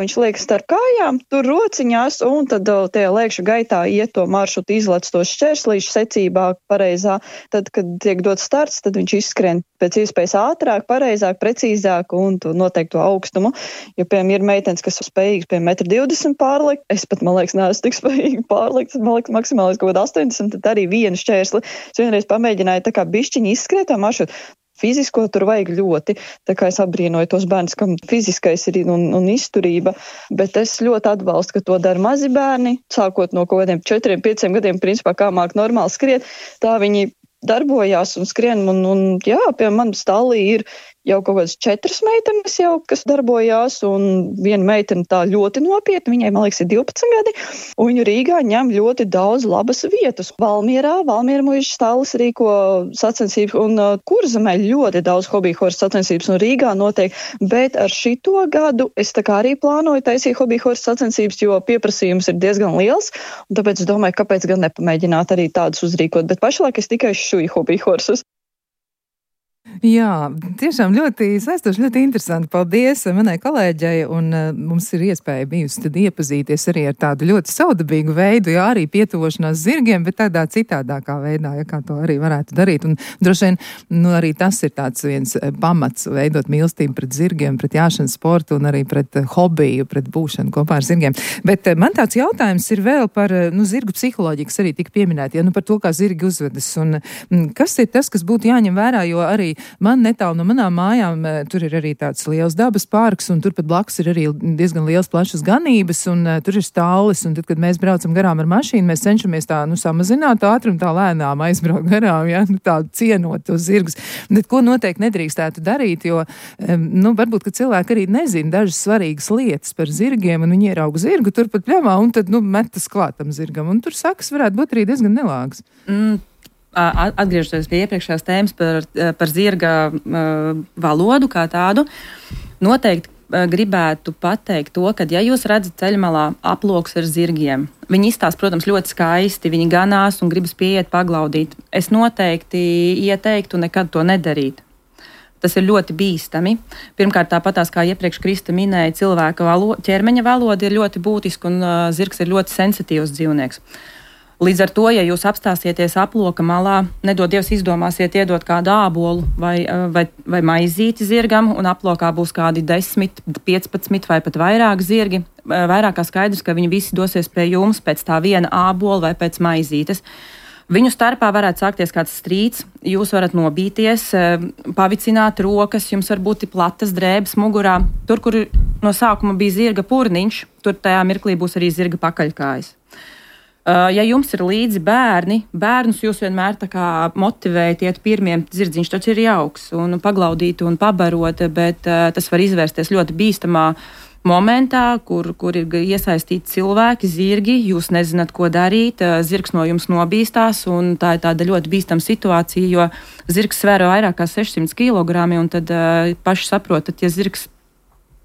Viņš liek starp kājām, tur rociņās, un tad tajā lēkšu gaitā iet to maršrutu, izlec to šķērslīšu secībā pareizā. Tad, kad tiek dots starts, tad viņš izskrien pēc iespējas ātrāk, pareizāk, precīzāk un to noteikto augstumu. Jo, piemēram, ir meitenes, kas spējīgas pie metru divdesmit pārlikt, es pat, man liekas, neesmu tik spējīgi pārlikt, man liekas, maksimāli kaut kāda astoņdesmit, tad arī vienu šķērsli. Es vienreiz pamēģināju tā kā bišķiņi izskriet tā maršrutu. Fizisko tur vajag ļoti, tā kā es apbrīnoju tos bērnus, kam fiziskais ir un, un izturība, bet es ļoti atbalstu, ka to dara mazi bērni, sākot no kaut kādiem četriem, pieciem gadiem, principā kā māk normāli skriet, tā viņi darbojās un skrien, un, un jā, pie manas stallī ir jau kaut kādas četras meitenes jau, kas darbojās, un viena meitene tā ļoti nopietni, viņai, man liekas, ir divpadsmit gadi, un viņu Rīgā ņem ļoti daudz labas vietas. Valmierā, Valmiera muižas stallis rīko sacensības, un uh, Kurzemē ļoti daudz hobijhorsu sacensības, un Rīgā notiek, bet ar šito gadu es tā kā arī plānoju taisīt hobijhorsu sacensības, jo pieprasījums ir diezgan liels, un tāpēc es domāju, kāpēc gan nepamēģināt arī tādus uzrīkot, bet pašlaik es tikai šuju hobijhorsus. Jā, tiešām ļoti saistoši, ļoti interesanti. Paldies manai kolēģei, un uh, mums ir iespēja bijusi tad iepazīties arī ar tādu ļoti saudabīgu veidu, jā, arī pietuvošanās zirgiem, bet tādā citādākā veidā, ja kā to arī varētu darīt. Un droši vien, nu, arī tas ir tāds viens pamats veidot mīlestību pret zirgiem, pret jāšanas sportu un arī pret hobiju, pret būšanu kopā ar zirgiem. Bet uh, man tāds jautājums ir vēl par, nu, zirgu psiholoģiju, kas arī tika pieminēti, ja, nu, par to, kā zirgi uzvedas. Un m, kas ir tas, kas būtu jāņem vērā, jo arī man netālu no manām mājām tur ir arī tāds liels dabas parks, un turpat blakus ir arī diezgan liels plašas ganības, un uh, tur ir stallis, un tad, kad mēs braucam garām ar mašīnu, mēs cenšamies tā, nu, samazināt ātrumu, tā lēnām aizbraukt garām, ja, nu, tā cienot tos zirgus. Bet ko noteikti nedrīkstētu darīt, jo, um, nu, varbūt, ka cilvēki arī nezina dažas svarīgas lietas par zirgiem, un viņi ierauga zirgu turpat pļavā, un tad, nu, metas klātam zirgam, un tur sakas varētu būt arī diezgan nelāgas. Mm. Atgriežoties pie iepriekšējās tēmas par, par zirga uh, valodu kā tādu, noteikti gribētu pateikt to, ka, ja jūs redzat ceļmalā aploks ar zirgiem, viņi izstāsta, protams, ļoti skaisti, viņi ganās un gribas pieiet paglaudīt. Es noteikti ieteiktu nekad to nedarīt. Tas ir ļoti bīstami. Pirmkārt, tāpatās, kā iepriekš Krista minēja, cilvēka valo, ķermeņa valoda ir ļoti būtiska un uh, zirgs ir ļoti sensitīvs dzīvnieks. Līdz ar to, ja jūs apstāsieties aploka malā, nedod Dievs izdomāsiet iedot kādu ābolu vai, vai, vai maizīti zirgam, un aplokā būs kādi desmit, piecpadsmit vai pat vairāk zirgi, vairāk kā skaidrs, ka viņi visi dosies pie jums pēc tā viena ābola vai pēc maizītes. Viņu starpā varētu sākties kāds strīds, jūs varat nobīties, pavicināt rokas, jums var būt platas drēbes mugurā. Tur, kur no sākuma bija zirga purniņš, tur tajā mirklī būs arī zirga pakaļkājas. Ja jums ir līdzi bērni, bērnus jūs vienmēr tā kā motivējat iet pirmiem, zirdziņš taču ir jauks un paglaudīt un pabarot, bet tas var izvērsties ļoti bīstamā momentā, kur, kur ir iesaistīti cilvēki, zirgi, jūs nezināt, ko darīt, zirgs no jums nobīstās, un tā ir tāda ļoti bīstama situācija, jo zirgs svēro vairāk kā sešsimt kilogrami, un tad paši saprotat, ja zirgs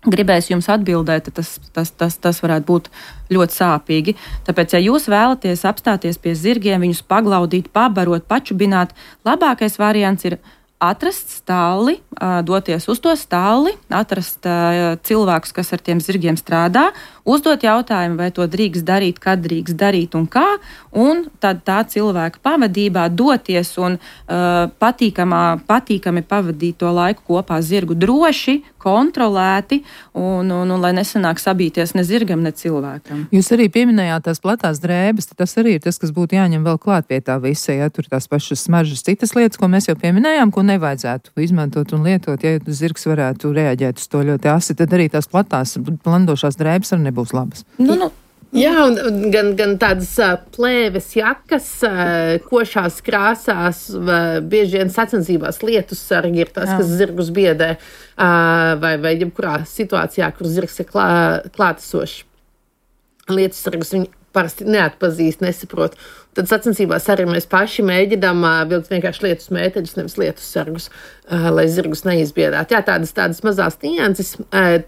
gribēs jums atbildēt, tas, tas, tas, tas varētu būt ļoti sāpīgi. Tāpēc, ja jūs vēlaties apstāties pie zirgiem, viņus paglaudīt, pabarot, pačubināt, labākais variants ir atrast stalli, doties uz to stalli, atrast cilvēkus, kas ar tiem zirgiem strādā, uzdot jautājumu, vai to drīkst darīt, kad drīkst darīt un kā, un tad tā cilvēka pavadībā doties un uh, patīkamā, patīkami pavadīt to laiku kopā zirgu droši, kontrolēti, un, un, un lai nesanāk sabīties ne zirgam, ne cilvēkam. Jūs arī pieminējāt tās platās drēbes, tas arī ir tas, kas būtu jāņem vēl klāt pie tā visa, ja tur tās pašas smaržas citas lietas, ko mēs jau pieminējām, ko nevajadzētu izmantot un lietot, ja zirgs varētu reaģēt uz to ļoti asi, tad arī tās platās, blandošās drēbes arī nebūs labas. Nu, nu. Jā, un gan, gan tādas plēves jakas, košās krāsās, bieži vien sacensībās lietus sargi ir tas, kas zirgus biedē, vai, vai jebkurā situācijā, kur zirgs ir klā, klātesošs. Lietus sargus viņi parasti neatpazīst, nesaprot. Tad sacensībās arī mēs paši mēģinām vilkt vienkārši lietus mēteļus, nevis lietus sargus, lai zirgus neizbiedētu. Jā, tādas, tādas mazās nianses.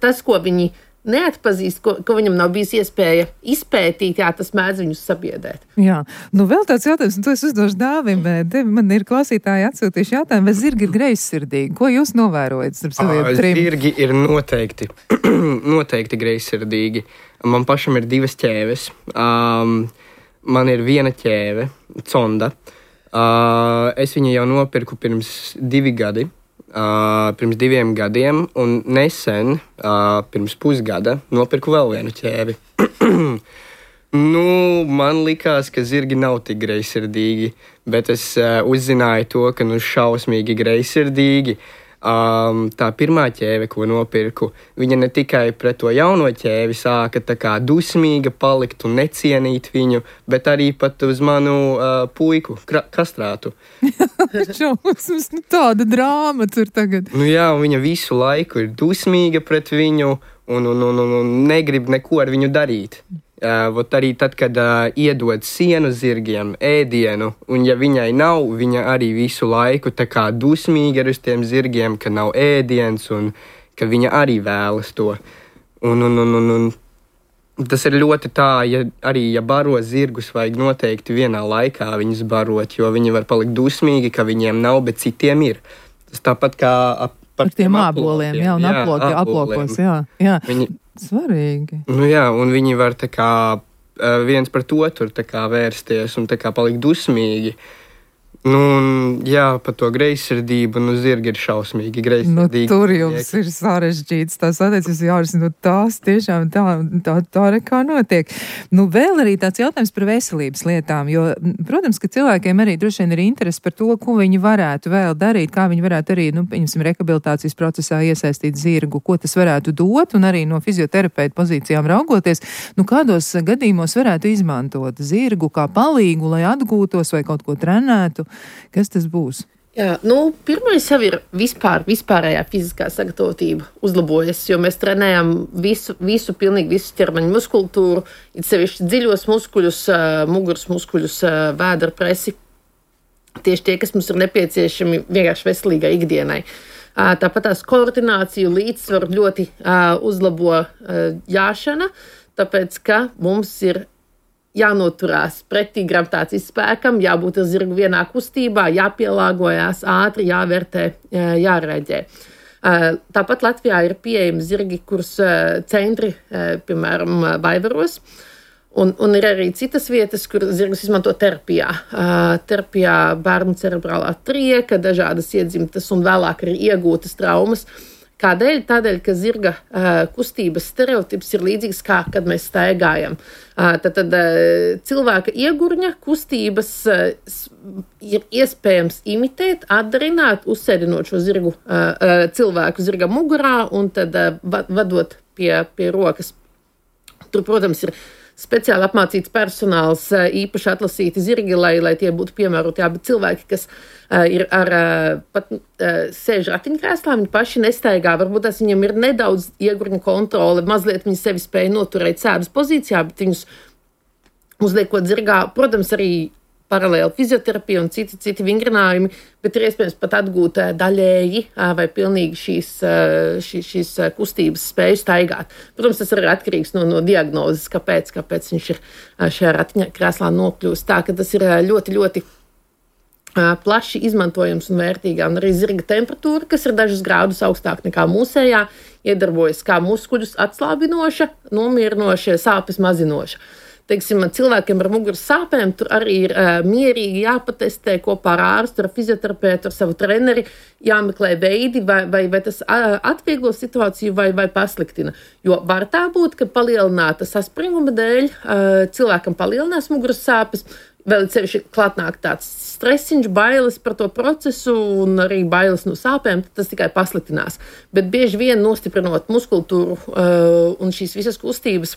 Tas, ko viņi neatpazīst, ko, ko viņam nav bijis iespēja izpētīt, jā, tas mēdz viņus sabiedēt. Jā, nu vēl tāds jautājums, un to es uzdošu Dāvim, bet man ir klausītāji atsūtījuši jautājumu, vai zirgi ir greizsirdīgi? Ko jūs novērojat starp saviem trim? Zirgi ir noteikti, noteikti greizsirdīgi. Man pašam ir divas ķēves. Um, man ir viena ķēve, Conda. Uh, es viņu jau nopirku pirms divi gadi. Uh, pirms diviem gadiem, un nesen, uh, pirms pusgada, nopirku vēl vienu ķēvi. Nu, man likās, ka zirgi nav tik greizsirdīgi, bet es uh, uzzināju to, ka nu šausmīgi greizsirdīgi. Um, tā pirmā ķēve, ko nopirku, viņa ne tikai pret to jauno ķēvi sāka tā kā dusmīga palikt un necienīt viņu, bet arī pat uz manu uh, puiku, kastrātu. Šausmas, nu tāda drāma tur tagad. Nu jā, viņa visu laiku ir dusmīga pret viņu un, un, un, un negrib neko ar viņu darīt. Uh, arī tad, kad uh, iedod sienu zirgiem, ēdienu, un ja viņai nav, viņa arī visu laiku tā kā dusmīga ir uz tiem zirgiem, ka nav ēdiens un ka viņa arī vēlas to. Un, un, un, un, un tas ir ļoti tā, ja arī ja baro zirgus, vajag noteikti vienā laikā viņus barot, jo viņi var palikt dusmīgi, ka viņiem nav, bet citiem ir. Tas tāpat kā ap, par ar tiem āboliem, jā, un aploki, aplokos, jā, jā. Viņi, svarīgi. Nu jā, un viņi var tā kā viens par to tur tā kā vērsties un tā kā palikt dusmīgi. Nu, un, jā, par to greizsirdību, nu, zirgi ir šausmīgi greizsirdīgi. Nu, tur jums ir sarežģīts tās attiecības, Jāris, nu, tās tiešām tā, tā, tā arī kā notiek. Nu, vēl arī tāds jautājums par veselības lietām, jo, protams, ka cilvēkiem arī droši vien ir interesi par to, ko viņi varētu vēl darīt, kā viņi varētu arī, nu, pieņemsim, rehabilitācijas procesā iesaistīt zirgu, ko tas varētu dot, un arī no fizioterapeita pozīcijām raugoties, nu, kādos gadījumos varētu izmantot zirgu kā palīgu, lai atgūtos vai kaut ko trenētu. Kas tas būs? Jā, nu, pirmais jau ir vispār, vispārējā fiziskā sagatavotība uzlabojas, jo mēs trenējam visu, visu, pilnīgi visu ķermeņa muskultūru, it sevišķi dziļos muskuļus, muguras muskuļus, vēdera presi. Tieši tie, kas mums ir nepieciešami vienkārši veselīgai ikdienai. Tāpat tās koordināciju līdzsvaru ļoti uzlabo jāšana, tāpēc, ka mums ir jānoturās pretī gravitācijas spēkam, jābūt ar zirgu vienā kustībā, jāpielāgojās ātri, jāvērtē, jārēģē. Tāpat Latvijā ir pieejami zirgi, kurus centri, piemēram, Vaivaros, un, un ir arī citas vietas, kur zirgus izmanto terapijā. Terapijā bērnu cerebrālā trieka, dažādas iedzimtas un vēlāk arī iegūtas traumas. Kādēļ? Tādēļ, ka zirga uh, kustības stereotips ir līdzīgs kā, kad mēs staigājam. Uh, tad tad uh, cilvēka iegurņa kustības uh, ir iespējams imitēt, atdarināt, uzsēdinot šo zirgu, uh, uh, cilvēku zirga mugurā un tad uh, vadot pie, pie rokas. Tur, protams, ir speciāli apmācīts personāls, īpaši atlasīti zirgi, lai, lai tie būtu piemēroti. Jā, bet cilvēki, kas uh, ir ar uh, pat uh, sēž ratiņkrēslā, viņi paši nestaigā. Varbūt tas viņam ir nedaudz iegurņa kontrole, mazliet viņi sevi spēja noturēt sēdas pozīcijā, bet viņus uzliekot zirgā, protams, arī paralēli fizioterapija un citi, citi vingrinājumi, bet ir iespējams pat atgūt daļēji vai pilnīgi šīs, šīs, šīs kustības spēju staigāt. Protams, tas ir atkarīgs no, no diagnozes, kāpēc, kāpēc viņš ir šajā ratiņkrēslā nokļūst. Tā, ka tas ir ļoti, ļoti plaši izmantojams un vērtīgā. Un arī zirga temperatūra, kas ir dažus grādus augstāk nekā mūsējā, iedarbojas kā muskuļus atslābinoša, nomierinoša, sāpes mazinoša. Teiksim, cilvēkiem ar muguras sāpēm tur arī ir uh, mierīgi jāpatestē kopā ar ārstu, ar fizioterapeitu, ar savu treneri, jāmeklē veidi, vai, vai, vai tas uh, atvieglo situāciju vai, vai pasliktina. Jo var tā būt, ka palielināta saspringuma dēļ uh, cilvēkam palielinās muguras sāpes, vēl sevišķi klātnāk tāds stresiņš, bailes par to procesu un arī bailes no sāpēm, tas tikai pasliktinās. Bet bieži vien nostiprinot muskultūru uh, un šīs visas kustības,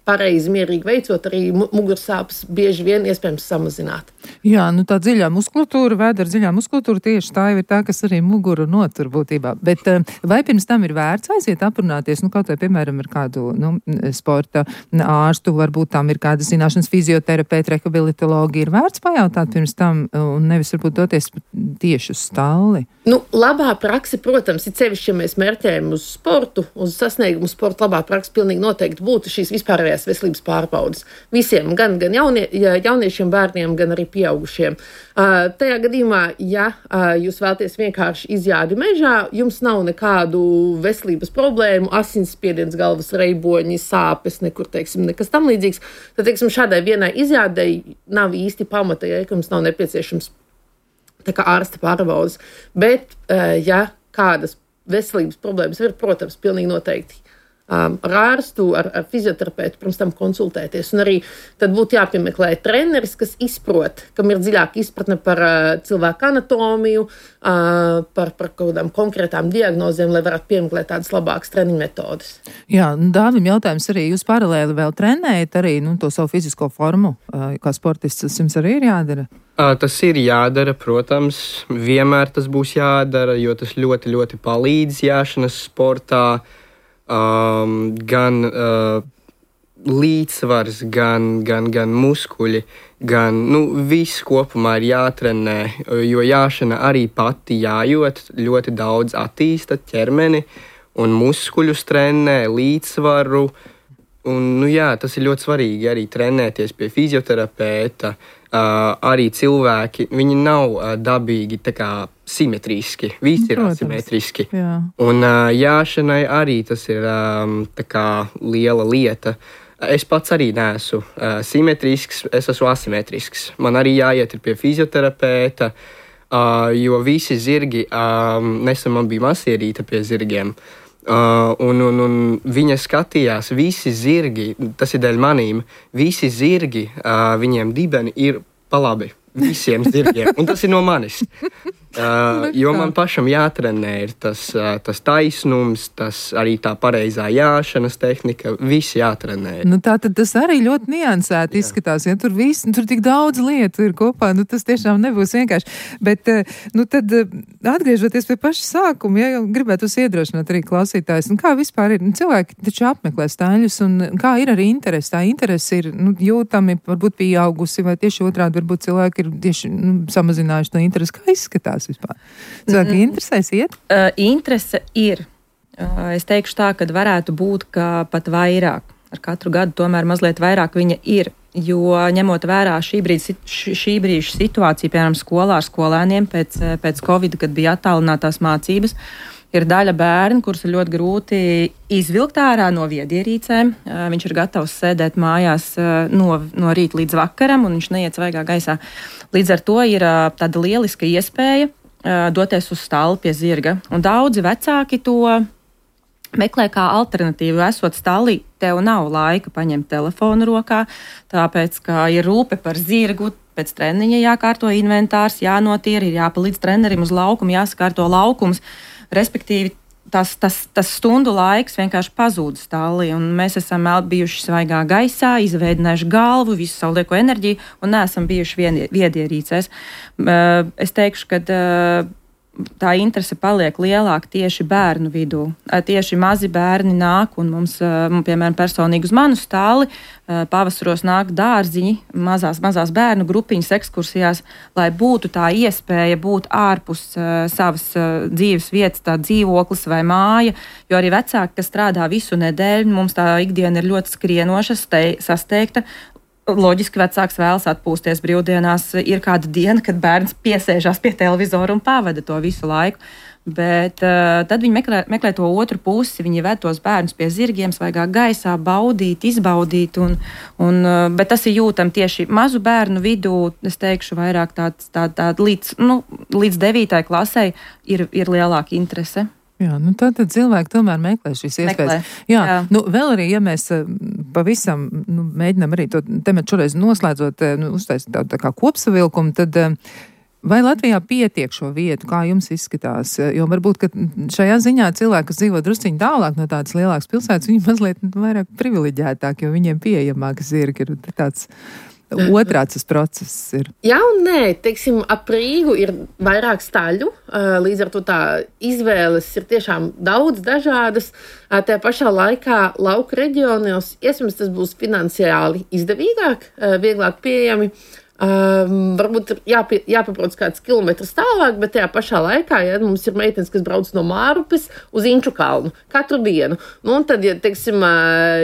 pareizi, mierīgi veicot, arī mugursāpes bieži vien iespējams samazināt. Jā, nu tā dziļā muskultūra, vēdera dziļā muskultūra tieši tā ir tā, kas arī muguru notur būtībā. Bet vai pirms tam ir vērts aiziet aprunāties, nu kaut vai, piemēram, ar kādu nu, sporta ārstu, varbūt tam ir kāda zināšanas fizioterapeita, rehabilitologi, ir vērts pajautāt pirms tam un nevis varbūt doties tieši uz stalli? Nu, labā prakse, protams, ir sevišķi, ja mēs mērķējam uz sportu, uz sasniegumu sportu, labā prakse pilnīgi noteikti būtu šīs vispārējās veselības pārbaudes. Visiem, gan, gan jaunie, jauniešiem, bērniem, gan arī pieaugušiem. Uh, tajā gadījumā, ja uh, jūs vēlaties vienkārši izjādi mežā, jums nav nekādu veselības problēmu, asinsspiediens, galvas reiboņi, sāpes, nekur, teiksim, nekas tam līdzīgs, tad, teiksim, šādai vienai izjādei nav īsti pamata, ja jums nav nepieciešams tā kā ārsta pārbaudas. Bet, ja kādas veselības problēmas ir, protams, pilnīgi noteikti um, ar ārstu, ar, ar fizioterapeitu, pirms tam konsultēties. Un arī tad būtu jāpiemeklē treneris, kas izprot, kam ir dziļāka izpratne par uh, cilvēku anatomiju, uh, par, par kādām konkrētām diagnozēm, lai varētu piemeklēt tādas labākas treniņu metodes. Jā, Dāvim jautājums arī, jūs paralēli vēl trenējat arī nu, to savu fizisko formu, uh, kā sportists, tas jums arī ir jādara? Tas ir jādara, protams, vienmēr tas būs jādara, jo tas ļoti, ļoti palīdz jāšanas sportā, um, gan uh, līdzsvars, gan, gan, gan muskuļi, gan, nu, viss kopumā ir jātrenē, jo jāšana arī pati jājot, ļoti daudz attīsta ķermeni un muskuļus trenē, līdzsvaru, un, nu jā, tas ir ļoti svarīgi arī trenēties pie fizioterapeita. Uh, arī cilvēki, viņi nav uh, dabīgi tā kā simetriski, visi ir asimetriski. Jā. Un uh, jāšanai arī tas ir um, tā kā liela lieta. Es pats arī neesmu uh, simetrisks, es esmu asimetrisks. Man arī jāiet pie fizioterapeita, uh, jo visi zirgi, um, nesen man bija masierīte pie zirgiem, Uh, un, un, un viņa skatījās, visi zirgi, tas ir dēļ manīm, visi zirgi, uh, viņiem dibeni ir pa labi. Visiem zirgiem, un tas ir no manis. Uh, jo man pašam jātrenē ir tas, uh, tas taisnums, tas arī tā pareizā jāšanas tehnika, visi jātrenē. Nu, tā tad tas arī ļoti niansēti izskatās, ja tur viss, nu, tur tik daudz lietu ir kopā, nu tas tiešām nebūs vienkārši. Bet, nu tad atgriežoties pie paša sākuma, ja gribētu iedrošināt arī klausītājs, nu kā vispār ir, nu cilvēki taču apmeklē staļļus, un kā ir arī interesi, tā interesi ir, nu, jūtami, varbūt pieaugusi, vai tieši otrādi, varbūt cilvēki ir tieši, nu, samazinājuši to interesi, kā izskatās. gribās vispār? Cilvēki mm-hmm. interesēs iet? Uh, interese ir. Uh, es teikšu tā, ka varētu būt, ka pat vairāk. Ar katru gadu tomēr mazliet vairāk viņa ir. Jo ņemot vērā šī brīža, šī brīža situāciju, piemēram, skolā ar skolēniem pēc, pēc Covid, kad bija attālinātās mācības, ir daļa bērni, kurus ir ļoti grūti izvilkt ārā no viedierīcēm. Viņš ir gatavs sēdēt mājās no, no rīta līdz vakaram, un viņš neiet svaigā gaisā. Līdz ar to ir tāda lieliska iespēja doties uz stalli pie zirga. Un daudzi vecāki to meklē kā alternatīvu, esot stālī, tev nav laika paņemt telefonu rokā, tāpēc, ka ir rūpe par zirgu, pēc treniņa jākārto inventārs, jānotīra, ir jāpalīdz trenerim uz laukumu, jāsakārto laukums, respektīvi tas, tas, tas stundu laiks vienkārši pazūd stālī, un mēs esam bijuši svaigā gaisā, izveidinājuši galvu, visu savu lieko enerģiju, un neesam bijuši viedierīcēs. Es teikšu, ka tā interese paliek lielāka tieši bērnu vidū. Tieši mazi bērni nāk, un mums, piemēram, personīgi uz manu stāli pavasaros nāk dārziņi, mazās, mazās bērnu grupiņas ekskursijās, lai būtu tā iespēja būt ārpus savas dzīves vietas, tā dzīvoklis vai māja, jo arī vecāki, kas strādā visu nedēļu, mums tā ikdiena ir ļoti skrienoša, sasteigta. Loģiski vecāks vēlas atpūsties brīvdienās. Ir kāda diena, kad bērns piesēžās pie televizora un pavada to visu laiku. Bet uh, tad viņi meklē, meklē to otru pusi. Viņi ved tos bērnus pie zirgiem, svaigā gaisā, baudīt, izbaudīt. Un, un, uh, bet tas ir jūtam tieši mazu bērnu vidū. Es teikšu, vairāk tāds, tā, tā, līdz, nu, līdz devītai klasei ir, ir lielāka interese. Jā, nu tā tad cilvēki tomēr meklē šīs iespējas. Meklē, jā, jā. Nu vēl arī, ja mēs pavisam nu, mēģinām arī to tematu šoreiz noslēdzot, nu, uztaisīt tādu tā kā kopsavilkumu, tad vai Latvijā pietiek šo vietu, kā jums izskatās? Jo varbūt, ka šajā ziņā cilvēki, kas dzīvo drusciņi tālāk no tādas lielākas pilsētas, viņi mazliet vairāk privileģētāk, jo viņiem pieejamāk zirgi ir tāds otrāds tas process ir. Jā un nē, teiksim, ap Rīgu ir vairāk staļu, līdz ar to tā izvēles ir tiešām daudz dažādas. Tajā pašā laikā lauku reģionos, iespējams, tas būs finansiāli izdevīgāk, vieglāk pieejami. Um, varbūt jāpie, jāpabrauc kāds kilometrs tālāk, bet tajā pašā laikā, ja mums ir meitenes, kas brauc no Mārupes uz Inču kalnu katru dienu. Nu, un tad, ja, teiksim,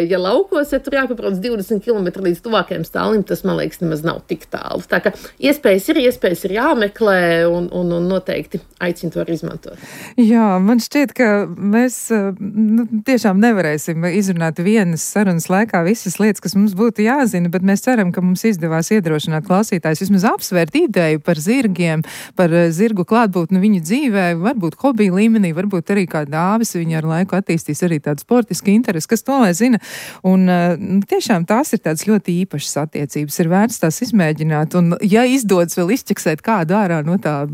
ja laukos, ja tur jāpabrauc divdesmit kilometri līdz tuvākajam stālim, tas, man liekas, nemaz nav tik tālu. Tā kā iespējas ir, iespējas ir jāmeklē un, un, un noteikti aicinu to arī izmantot. Jā, man šķiet, ka mēs nu, tiešām nevarēsim izrunāt vienas sarunas laikā visas lietas, kas mums būtu jāzina, bet mēs ceram, ka mums izdevās iedrošināt klausītājus vismaz apsvērt ideju par zirgiem, par zirgu klātbūtni viņu dzīvē, varbūt hobiju līmenī, varbūt arī kā dāvis viņa ar laiku attīstīs arī tādu sportisku interesi, kas to lai zina. Un tiešām tās ir tādas ļoti īpašas attiecības, ir vērts tās izmēģināt, un ja izdodas vēl izķeksēt kādu ārā no tā,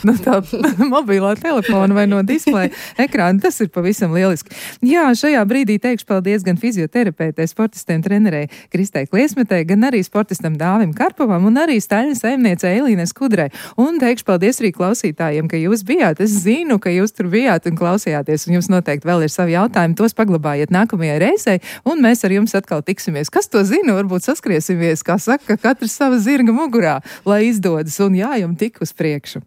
no tā mobilā telefona vai no displeja ekrāna, tas ir pavisam lieliski. Jā, šajā brīdī teikšu paldies gan fizioterapeitei, sportistiem, trenerei Kristei Kliesmetei, gan arī sportistam Dāvim Karpovam un arī staļņa saimniecei Elīnai Skudrai. Un teikšu paldies arī klausītājiem, ka jūs bijāt. Es zinu, ka jūs tur bijāt un klausījāties, un jums noteikti vēl ir savi jautājumi. Tos paglabājiet nākamajai reizei, un mēs ar jums atkal tiksimies. Kas to zina? Varbūt saskriesimies, kā saka, katrs sava zirga mugurā, lai izdodas, un jā, jums tik uz priekšu.